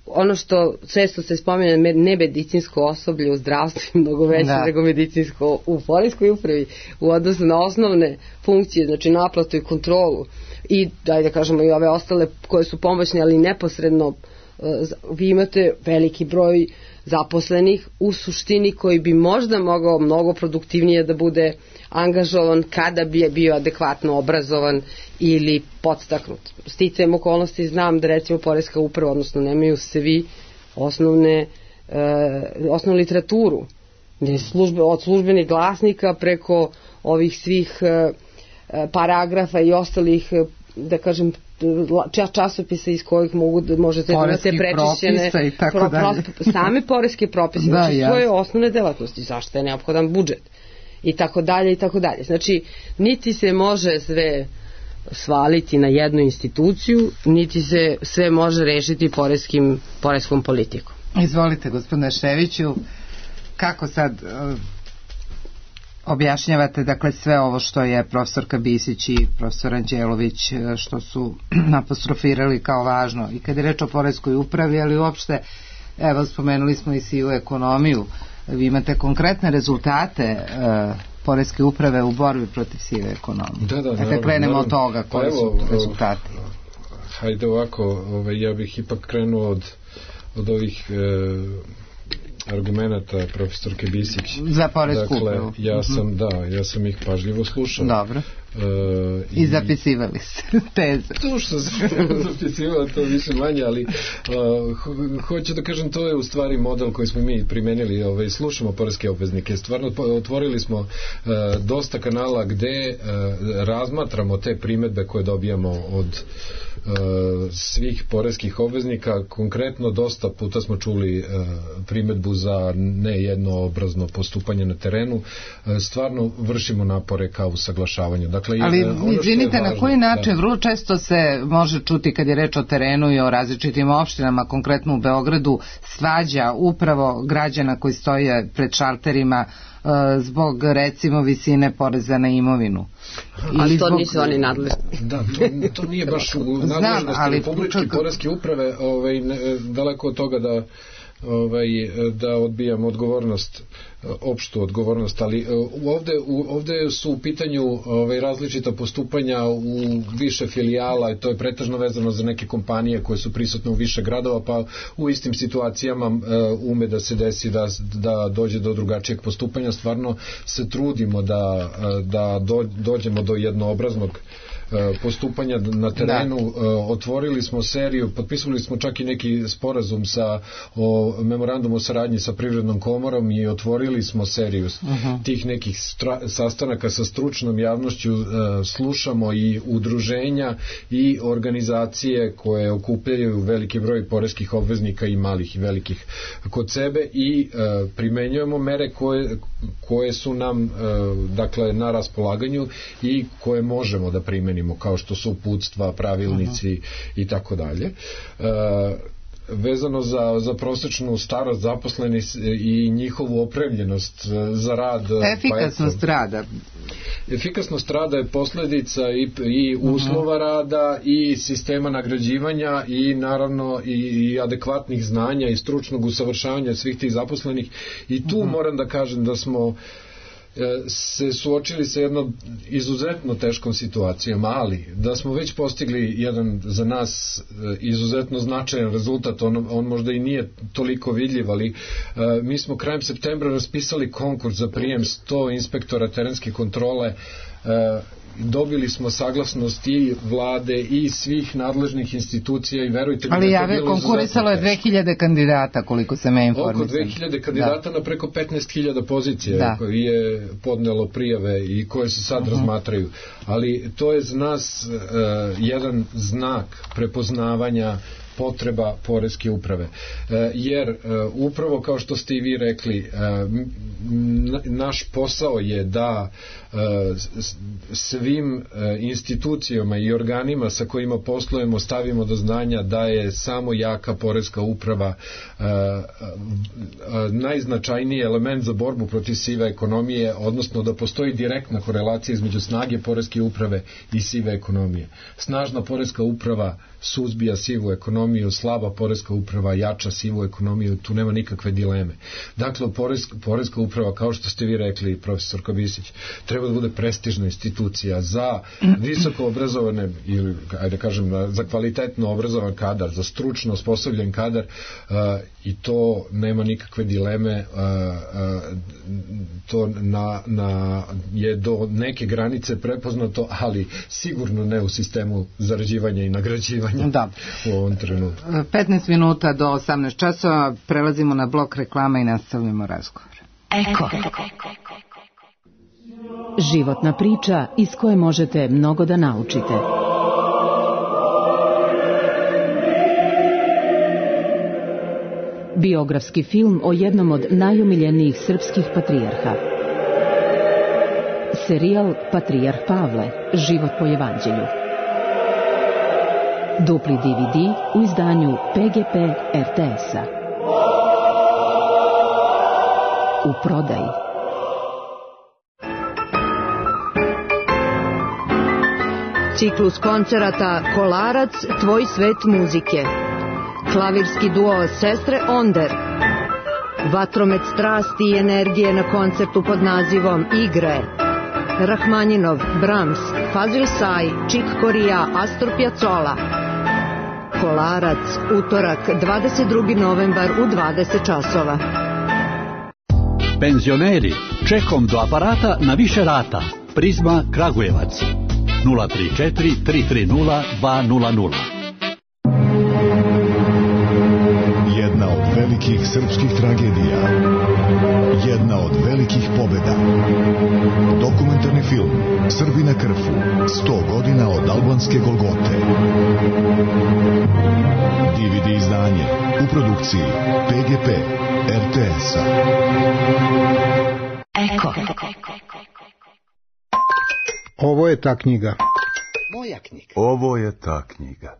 ono što često se spominje, nemedicinsko osoblje u zdravstvu mnogo veće da. nego medicinsko u poreskoj upravi u odnosu na osnovne funkcije, znači naplatu i kontrolu i daj da kažemo i ove ostale koje su pomoćne, ali neposredno vi imate veliki broj zaposlenih u suštini koji bi možda mogao mnogo produktivnije da bude angažovan kada bi je bio adekvatno obrazovan ili podstaknut. Sticajem okolnosti znam da recimo poreska uprava, odnosno nemaju svi osnovne, e, osnovnu literaturu službe, od službenih glasnika preko ovih svih e, paragrafa i ostalih, da kažem, časopisa iz kojih mogu, možete da imate prečišćene pro, pro, same poreske propise, da, znači ja. Svoje osnovne delatnosti, zašto je neophodan budžet i tako dalje i tako dalje. Znači, niti se može sve svaliti na jednu instituciju, niti se sve može rešiti poreskim, poreskom politikom. Izvolite, gospodine Ševiću, kako sad uh, objašnjavate dakle sve ovo što je profesorka Bisić i profesor Anđelović što su apostrofirali kao važno i kad je reč o poreskoj upravi, ali uopšte, evo spomenuli smo i sivu ekonomiju, vi imate konkretne rezultate uh, poreske uprave u borbi protiv sive ekonomije. Da, da, dakle, krenemo od toga koji pa su rezultati. Hajde ovako, ovaj, ja bih ipak krenuo od, od ovih e, argumenata profesorke Bisić. Za poresku dakle, upravu. Ja sam, da, ja sam ih pažljivo slušao. Dobro. E, i, I zapisivali se teze. To što sam zapisivao, to više manje, ali uh, ho, hoću da kažem, to je u stvari model koji smo mi primenili, ovaj, slušamo poreske obveznike. Stvarno otvorili smo uh, dosta kanala gde uh, razmatramo te primedbe koje dobijamo od Uh, svih poreskih obveznika. Konkretno dosta puta smo čuli uh, primedbu za nejednoobrazno postupanje na terenu. Uh, stvarno vršimo napore kao usaglašavanje. Dakle, ali uh, izvinite, na koji način da. Vrlo često se može čuti kad je reč o terenu i o različitim opštinama, konkretno u Beogradu, svađa upravo građana koji stoje pred šalterima uh, zbog recimo visine poreza na imovinu. Ali to zbog... nisu oni nadležni. Da, to, to nije baš u nadležnosti Republičke čak... poreske uprave, ovaj, ne, daleko od toga da ovaj, da odbijam odgovornost, opštu odgovornost, ali ovde, ovde su u pitanju ovaj, različita postupanja u više filijala i to je pretežno vezano za neke kompanije koje su prisutne u više gradova, pa u istim situacijama ume da se desi da, da dođe do drugačijeg postupanja. Stvarno se trudimo da, da do, dođemo do jednoobraznog postupanja na terenu. Da. Otvorili smo seriju, potpisali smo čak i neki sporazum sa o memorandum o saradnji sa Privrednom komorom i otvorili smo seriju uh-huh. tih nekih stra, sastanaka sa stručnom javnošću, slušamo i udruženja i organizacije koje okupljaju veliki broj poreskih obveznika i malih i velikih kod sebe i primenjujemo mere koje, koje su nam dakle na raspolaganju i koje možemo da primenimo, kao što su uputstva, pravilnici uh-huh. i tako dalje. Vezano za, za prosečnu starost zaposlenih i njihovu opremljenost za rad. Efikasnost pa rada. Efikasnost rada je posledica i, i uslova uh-huh. rada i sistema nagrađivanja i naravno i, i adekvatnih znanja i stručnog usavršavanja svih tih zaposlenih i tu uh-huh. moram da kažem da smo se suočili sa jednom izuzetno teškom situacijom, ali da smo već postigli jedan za nas izuzetno značajan rezultat, on, on možda i nije toliko vidljiv, ali uh, mi smo krajem septembra raspisali konkurs za prijem sto inspektora terenske kontrole. Uh, dobili smo saglasnost i vlade i svih nadležnih institucija i verujte mi, ali jave konkurisalo je dve hiljade kandidata, koliko se me informisam. Oko dve hiljade kandidata da. Na preko petnaest hiljada pozicija da. Koje je podnelo prijave i koje se sad uh-huh. razmatraju, ali to je za nas uh, jedan znak prepoznavanja potreba poreske uprave. Jer upravo kao što ste i vi rekli, naš posao je da svim institucijama i organima sa kojima poslujemo stavimo do znanja da je samo jaka poreska uprava najznačajniji element za borbu protiv sive ekonomije, odnosno da postoji direktna korelacija između snage poreske uprave i sive ekonomije. Snažna poreska uprava suzbija sivu ekonomiju ekonomiju, slaba poreska uprava jača sivu ekonomiju, tu nema nikakve dileme. Dakle, poreska, poreska uprava, kao što ste vi rekli, profesor Kabisić, treba da bude prestižna institucija za visoko obrazovane ili, ajde kažem, za kvalitetno obrazovan kadar, za stručno osposobljen kadar, uh, i to nema nikakve dileme, uh, uh, to na, na, je do neke granice prepoznato, ali sigurno ne u sistemu zarađivanja i nagrađivanja da. U ovom trenutku. petnaest minuta do osamnaest časova, prelazimo na blok reklama i nastavljamo razgovor. Eko. Životna priča iz koje možete mnogo da naučite. Biografski film o jednom od najomiljenijih srpskih patrijarha. Serijal Patrijarh Pavle, život po evanđelju. Dupli D V D u izdanju P G P R T S-a. U prodaji. Ciklus koncerata Kolarac, tvoj svet muzike. Klavirski duo Sestre Onder. Vatromet strasti i energije na koncertu pod nazivom Igre. Rahmaninov, Brahms, Fazil Say, Chick Corea, Astor Piazzolla. Kolarac, utorak, dvadeset drugi novembar u dvadeset časova. Penzioneri, čekom do aparata na više rata. Prizma Kragujevac. nula tri četiri tri tri nula dva nula nula. Jedna od velikih srpskih tragedija. Jedna od velikih pobjeda. Dokumentarni film Srbi na Krfu. sto godina od albanske Golgote. D V D izdanje u produkciji P G P R T S-a. Eko. Ovo je ta knjiga. Moja knjiga. Ovo je ta knjiga.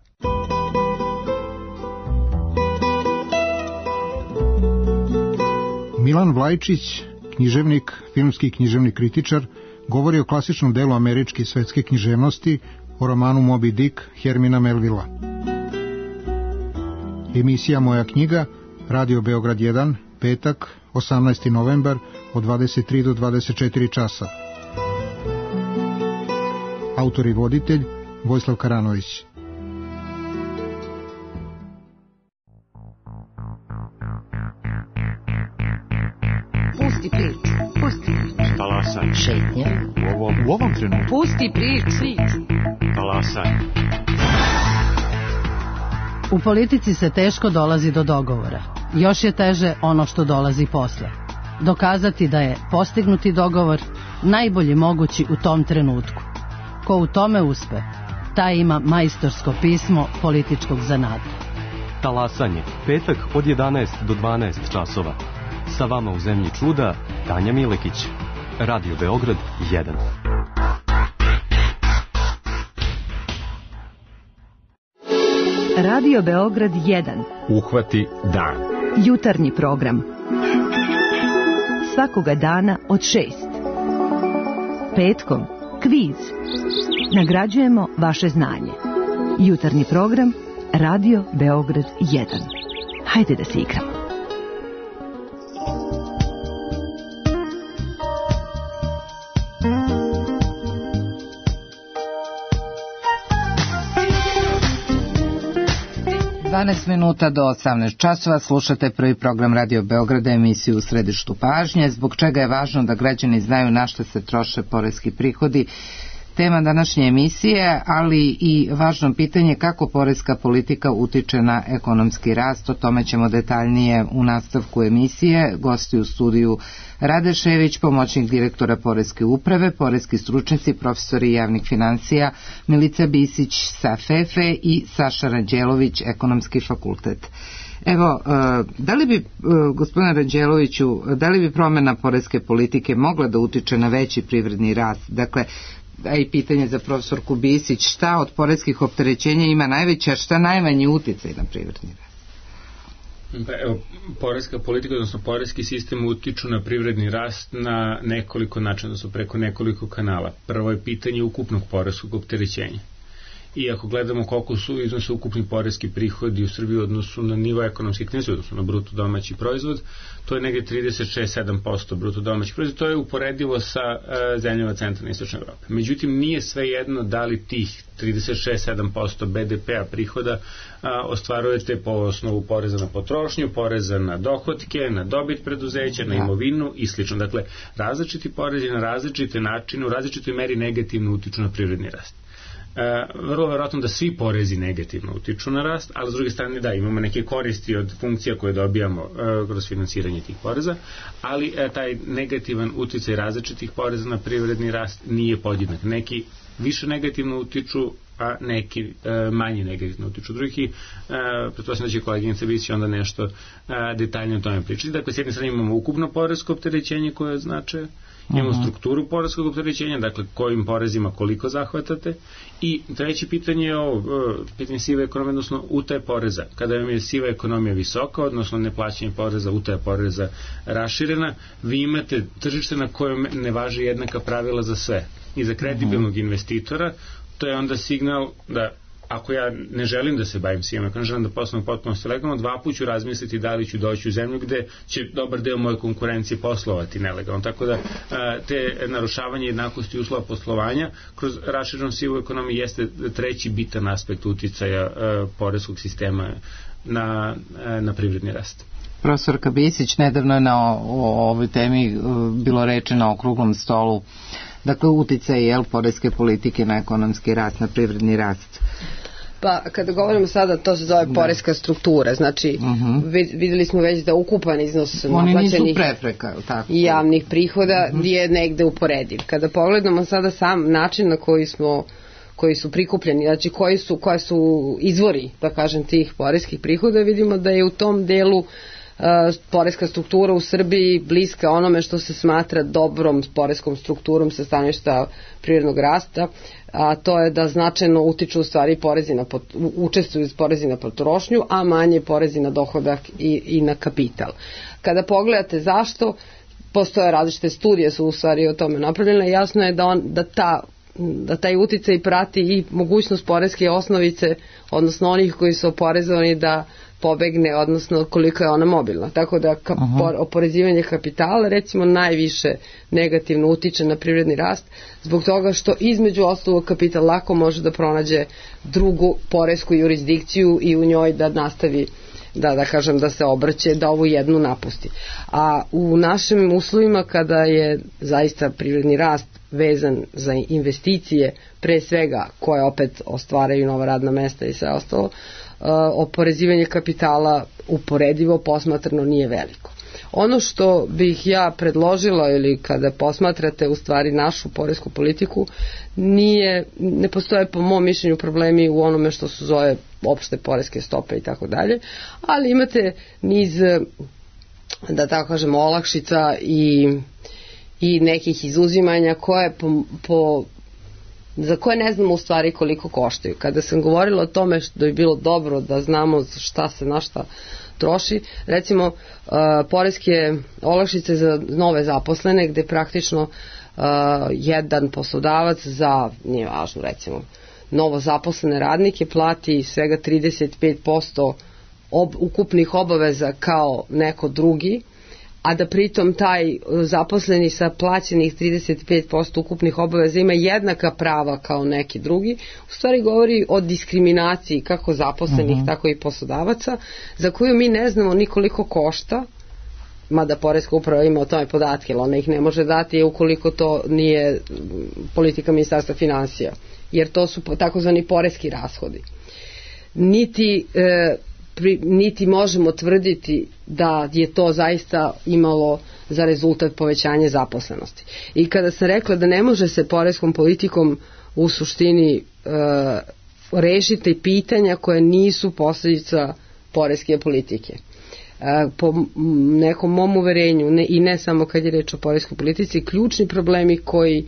Milan Vlajčić, književnik, filmski književni kritičar, govori o klasičnom delu američke i svetske književnosti, o romanu Moby Dick Hermina Melvilla. Emisija Moja knjiga, Radio Beograd jedan, petak, osamnaesti novembar, od dvadeset tri do dvadeset četiri časa. Autor i voditelj Vojislav Karanović. Pusti priču, pusti priču. Talasaj. Šetnja. U ovom, u ovom trenutku. Pusti priču. Talasaj. U politici se teško dolazi do dogovora. Još je teže ono što dolazi posle. Dokazati da je postignuti dogovor najbolji mogući u tom trenutku. Ko u tome uspe, taj ima majstorsko pismo političkog zanata. Talasanje, petak od jedanaest do dvanaest časova. Sa vama u zemlji čuda, Tanja Milekić. Radio Beograd jedan. Radio Beograd jedan. Uhvati dan. Jutarnji program. Svakoga dana od šest. Petkom kviz. Nagrađujemo vaše znanje. Jutarnji program Radio Beograd jedan. Hajde da se igramo. dvanaest minuta do osamnaest časova, slušate prvi program Radio Beograda, emisiju U središtu pažnje. Zbog čega je važno da građani znaju na što se troše poreski prihodi, tema današnje emisije, ali i važno pitanje kako poreska politika utiče na ekonomski rast. O tome ćemo detaljnije u nastavku emisije. Gosti u studiju Rade Šević, pomoćnik direktora Poreske uprave, poreski stručnjaci, profesori javnih financija Milica Bisić sa F E F E i Saša Ranđelović, ekonomski fakultet. Evo, da li bi, gospodine Ranđeloviću, da li bi promjena poreske politike mogla da utiče na veći privredni rast? Dakle, a i pitanje za profesorku Bisić, šta od poreskih opterećenja ima najveća, šta najmanji uticaj na privredni rast? Pa evo, poreska politika, odnosno poreski sistem utiču na privredni rast na nekoliko načina, odnosno preko nekoliko kanala. Prvo je pitanje ukupnog poreskog opterećenja. i ako gledamo koliko su iznose ukupni poreski prihodi u Srbiji u odnosu na nivo ekonomske aktivnosti, odnosno na bruto domaći proizvod, to je negdje trideset šest zarez sedam posto bruto domaći proizvod, to je uporedivo sa uh, zemljama centralne i istočne Evrope. Međutim, nije sve jedno da li tih trideset šest zarez sedam posto be de pe-a prihoda a, ostvarujete po osnovu poreza na potrošnju, poreza na dohotke, na dobit preduzeća, na imovinu i slično. Dakle, različiti porezi na različite načine, u različitoj meri negativno utiču na privredni rast. E, vrlo verovatno da svi porezi negativno utiču na rast, ali s druge strane da, imamo neke koristi od funkcija koje dobijamo e, kroz finansiranje tih poreza, ali e, taj negativan uticaj različitih poreza na privredni rast nije podjednak. Neki više negativno utiču, a neki e, manje negativno utiču drugih i e, pretpostavljam da će koleginica Bisić onda nešto e, detaljnije o tome pričati. Dakle, s jedne strane imamo ukupno poresko opterećenje koje znače, imamo uh-huh. strukturu poreskog opterećenja, dakle kojim porezima koliko zahvatate, i treće pitanje je ovo, pitanje sive ekonomije, odnosno utaje poreza. Kada vam je siva ekonomija visoka, odnosno neplaćanje poreza, utaja poreza raširena, vi imate tržište na kojem ne važi jednaka pravila za sve. I za kredibilnog uh-huh. investitora to je onda signal da ako ja ne želim da se bavim sivom ekonomijom, želim da poslujem potpuno legalno, dva put ću razmisliti da li ću doći u zemlju gde će dobar deo moje konkurencije poslovati nelegalno. Tako da te narušavanje jednakosti uslova poslovanja kroz raširenu sivu ekonomiju jeste treći bitan aspekt uticaja poreskog sistema na, na privredni rast. Profesorka Bisić, nedavno je na o, o ovoj temi bilo reče na okruglom stolu, dakle uticaj jel, poreske politike na ekonomski rast, na privredni rast. Pa kada govorimo sada, to se zove poreska struktura, znači uh-huh. videli smo već da ukupan iznos naplaćenih prepreka, tako. javnih prihoda uh-huh. je negde uporediv. Kada pogledamo sada sam način na koji smo koji su prikupljeni, znači koji su, koja su izvori, da kažem, tih poreskih prihoda, vidimo da je u tom delu Uh, poreska struktura u Srbiji bliska onome što se smatra dobrom poreskom strukturom sa stanovišta privrednog rasta, a to je da značajno utiču u stvari porezi na pot, učestvuju porezi na potrošnju, a manje porezi na dohodak i, i na kapital. Kada pogledate zašto, postoje različite studije su u stvari o tome napravljene, jasno je da, on, da ta da taj uticaj prati i mogućnost poreske osnovice, odnosno onih koji su oporezovani da pobegne, odnosno koliko je ona mobilna. Tako da ka, por, oporezivanje kapitala recimo najviše negativno utiče na privredni rast, zbog toga što između ostalog kapital lako može da pronađe drugu poresku jurisdikciju i u njoj da nastavi da, da kažem, da se obrće, da ovu jednu napusti. A u našim uslovima kada je zaista privredni rast vezan za investicije, pre svega koje opet ostvaraju nova radna mesta i sve ostalo, uh, oporezivanje kapitala uporedivo posmatrano nije veliko. Ono što bih ja predložila ili kada posmatrate u stvari našu poresku politiku, nije, ne postoje po mom mišljenju problemi u onome što su zove opšte poreske stope i tako dalje, ali imate niz, da tako kažemo, olakšica i, i nekih izuzimanja koje po, po za koje ne znamo u stvari koliko koštaju. Kada sam govorila o tome što bi bilo dobro da znamo šta se na šta troši, recimo uh, poreske olakšice za nove zaposlene gde praktično uh, jedan poslodavac za, nije važno recimo, novo zaposlene radnike plati svega trideset pet posto ob, ukupnih obaveza kao neko drugi, a da pritom taj zaposleni sa plaćenih trideset pet posto ukupnih obaveza ima jednaka prava kao neki drugi, u stvari govori o diskriminaciji kako zaposlenih, uh-huh. tako i poslodavaca, za koju mi ne znamo ni koliko košta, mada poreska uprava ima o tome podatke, ali ona ih ne može dati ukoliko to nije politika Ministarstva finansija, jer to su takozvani poreski rashodi. Niti e, Pri, niti možemo tvrditi da je to zaista imalo za rezultat povećanje zaposlenosti. I kada sam rekla da ne može se poreskom politikom u suštini e, rešiti pitanja koje nisu posljedica poreske politike. E, po nekom mom uverenju, ne, i ne samo kad je reč o poreskoj politici, ključni problemi koji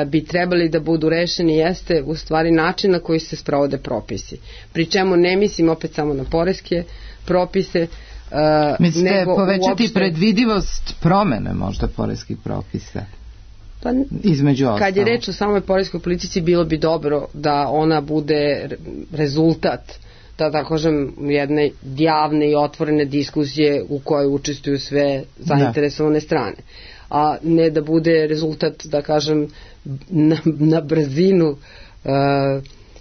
bi trebali da budu rešeni jeste u stvari način na koji se sprovode propisi. Pri čemu ne mislim opet samo na poreske propise. Uh, Mislite nego povećati uopšte predvidivost promene možda poreskih propisa? Pa, između ostalo. Kad je reč o samoj poreskoj politici, bilo bi dobro da ona bude rezultat, da tako kažem, jedne javne i otvorene diskusije u kojoj učestvuju sve zainteresovane strane. A ne da bude rezultat, da kažem, na, na brzinu uh,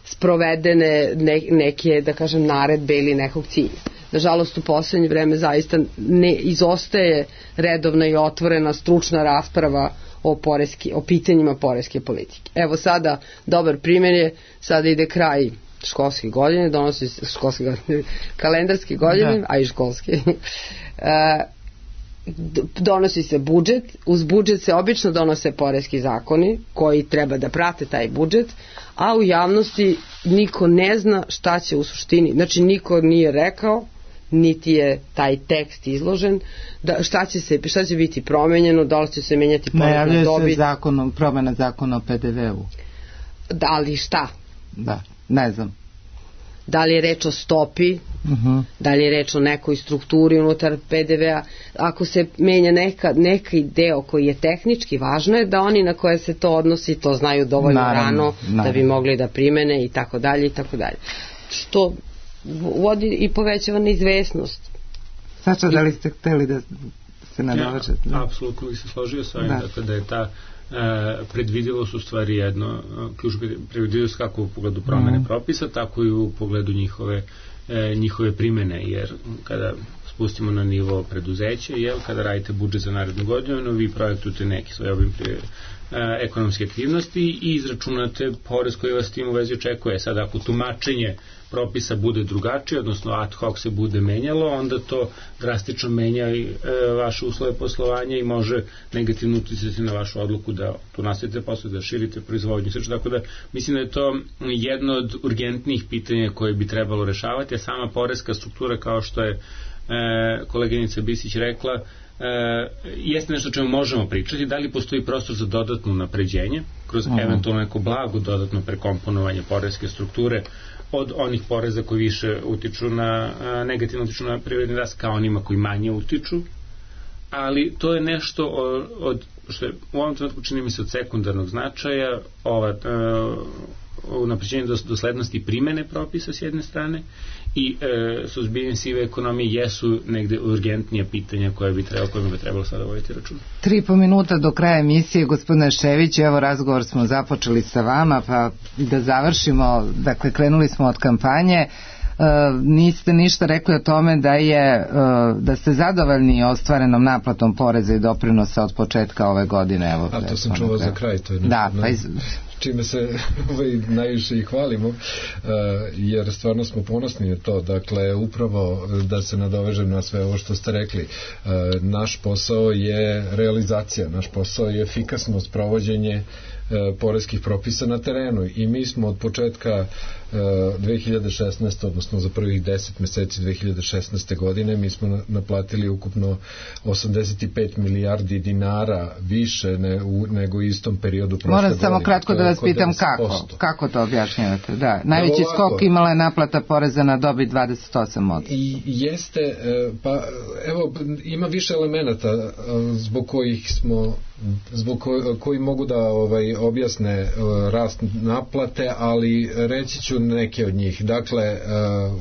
sprovedene ne, neke, da kažem, naredbe ili nekog cilja. Nažalost, u poslednje vreme zaista ne izostaje redovna i otvorena stručna rasprava o, poreski, o pitanjima poreske politike. Evo sada, dobar primjer je, sada ide kraj školske godine, donosi se školske godine, kalendarske godine, da. A i školske. Donosi se budžet, uz budžet se obično donose poreski zakoni koji treba da prate taj budžet, a u javnosti niko ne zna šta će u suštini, znači niko nije rekao, niti je taj tekst izložen, da šta će se šta će biti promenjeno, da li će se menjati porez na dobit. Najavljuje se zakonom, promena zakona o pe de ve u. Da li šta? Da, ne znam. Da li je reč o stopi, uh-huh. Da li je reč o nekoj strukturi unutar pe de ve a. Ako se menja neka, neki deo koji je tehnički, važno je da oni na koje se to odnosi to znaju dovoljno naravno, rano naravno. Da bi mogli da primene i tako dalje i tako dalje. Što vodi i povećava neizvesnost. Sača, da li ste hteli da se nadovežete? Ja, apsolutno bi se složio s ovim, da. Dakle da je ta e, predvidivost u stvari jedno, ključ predvidivost kako u pogledu promene mm. propisa, tako i u pogledu njihove, e, njihove primene, jer kada spustimo na nivo preduzeća, jel, kada radite budžet za narednu godinu, vi projektujete neki svoj obim prije ekonomske aktivnosti i izračunate porez koji vas tim u vezi očekuje. Sad ako tumačenje propisa bude drugačije, odnosno ad hoc se bude menjalo, onda to drastično menja i e, vaše uslove poslovanja i može negativno uticati na vašu odluku da tu nastavite posle, da širite proizvodnju. Tako da mislim da je to jedno od urgentnih pitanja koje bi trebalo rešavati, a sama poreska struktura, kao što je e, koleginica Bisić rekla, E, jeste nešto o čemu možemo pričati, da li postoji prostor za dodatno napređenje kroz uh-huh. eventualno neko blago dodatno prekomponovanje poreske strukture od onih poreza koji više utiču na, a, negativno utiču na privredni rast kao onima koji manje utiču, ali to je nešto od, od što je u ovom trenutku čini mi se od sekundarnog značaja, ova unapređenje doslednosti primene propisa s jedne strane i e, suzbijanje sive ekonomije jesu negde urgentnija pitanja koje bi trebalo, kojima bi trebalo sada voditi račun. Tri i po minuta do kraja emisije, gospodine Šević, evo razgovor smo započeli sa vama, pa da završimo, dakle krenuli smo od kampanje. Uh, niste ništa rekli o tome da je uh, da ste zadovoljni ostvarenom naplatom poreza i doprinosa od početka ove godine. Evo, a to sam čuo za kraj, to je da, pa iz... čime se ovaj, najviše i hvalimo, uh, jer stvarno smo ponosni na to. Dakle, upravo da se nadovežem na sve ovo što ste rekli, uh, naš posao je realizacija, naš posao je efikasno sprovođenje uh, poreskih propisa na terenu i mi smo od početka dve hiljade šesnaeste. odnosno za prvih deset meseci dve hiljade šesnaeste. godine mi smo naplatili ukupno osamdeset pet milijardi dinara više ne, u, nego u istom periodu prošle godine. Moram samo kratko da vas pitam kako, kako to objašnjavate? Da, najveći Evo skok imala je naplata poreza na dobit dvadeset osam posto. I jeste, pa evo ima više elemenata zbog kojih smo zbog ko, koji mogu da ovaj, objasne rast naplate, ali reći ću neke od njih. Dakle, uh,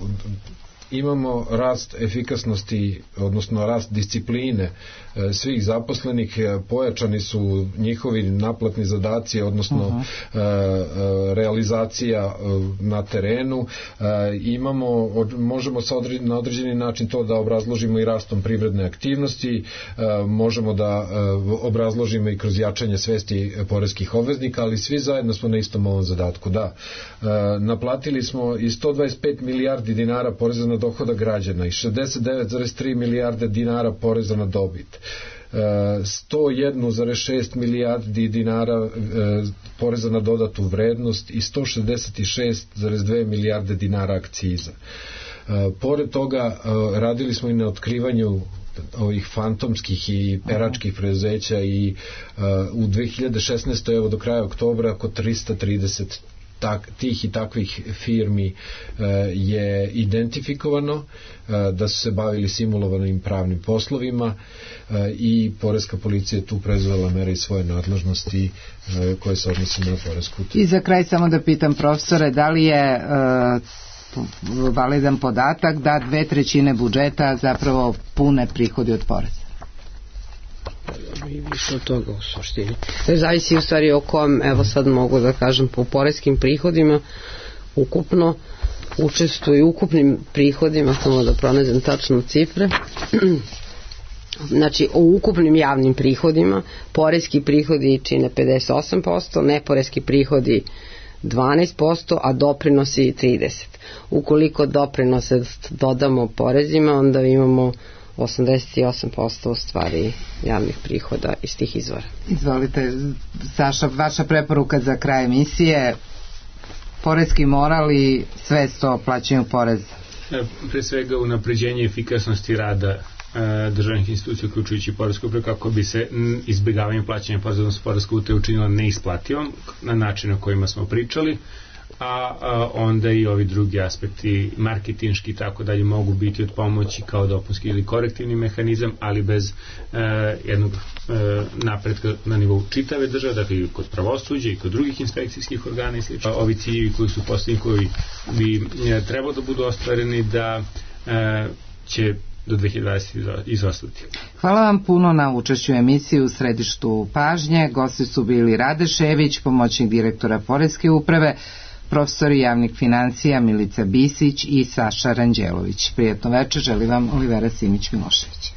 imamo rast efikasnosti, odnosno rast discipline uh, svih zaposlenih, pojačani su njihovi naplatni zadaci, odnosno uh-huh. uh, uh, realizacija uh, na terenu. Uh, imamo, od, možemo sa odre, na određeni način to da obrazložimo i rastom privredne aktivnosti, uh, možemo da uh, obrazložimo i kroz jačanje svesti poreskih obveznika, ali svi zajedno smo na istom ovom zadatku. Da, uh, naplatili smo i sto dvadeset pet milijardi dinara poreza na dohodak građana i šezdeset devet zarez tri milijarde dinara poreza na dobit. sto jedan zarez šest milijardi dinara poreza na dodatu vrednost i sto šezdeset šest zarez dve milijarde dinara akciza. Pored toga radili smo i na otkrivanju ovih fantomskih i peračkih preduzeća i u dve hiljade šesnaestoj. evo do kraja oktobra oko trista trideset tak, tih i takvih firmi je identifikovano, da su se bavili simulovanim pravnim poslovima i poreska policija je tu preuzela mere i svoje nadležnosti koje se odnose na poresku utajnu. I za kraj samo da pitam profesore, da li je validan podatak da dve trećine budžeta zapravo pune prihodi od poreza? I više od toga u suštini. Zavisi u stvari o kom, evo sad mogu da kažem, po poreskim prihodima ukupno učestvuju ukupnim prihodima, samo da pronađem tačno cifre. Znači, o ukupnim javnim prihodima poreski prihodi čine pedeset osam posto, neporeski prihodi dvanaest posto, a doprinosi trideset posto. Ukoliko doprinose dodamo porezima, onda imamo osamdeset osam posto u stvari javnih prihoda iz tih izvora. Izvolite, Saša, vaša preporuka za kraj emisije, poreski moral i svest o plaćanju poreza. Pre svega unapređenje efikasnosti rada državnih institucija uključujući poresku upravu kako bi se izbjegavanje plaćanja poreza, odnosno poreska utaja učinila neisplativom na način o kojima smo pričali, a, a onda i ovi drugi aspekti marketinški i tako dalje mogu biti od pomoći kao dopunski ili korektivni mehanizam, ali bez e, jednog e, napretka na nivou čitave države, dakle i kod pravosuđa i kod drugih inspekcijskih organa i slično. Ovi ciljevi koji su postavljeni, koji bi e, trebalo da budu ostvareni, da e, će do dve hiljade dvadesete izostati. Hvala vam puno na učešću u emisiji U središtu pažnje. Gosti su bili Rade Šević, pomoćnik direktora Poreske uprave, profesori javnih financija Milica Bisić i Saša Ranđelović. Prijatno večer, želi vam Olivera Simić-Milošević.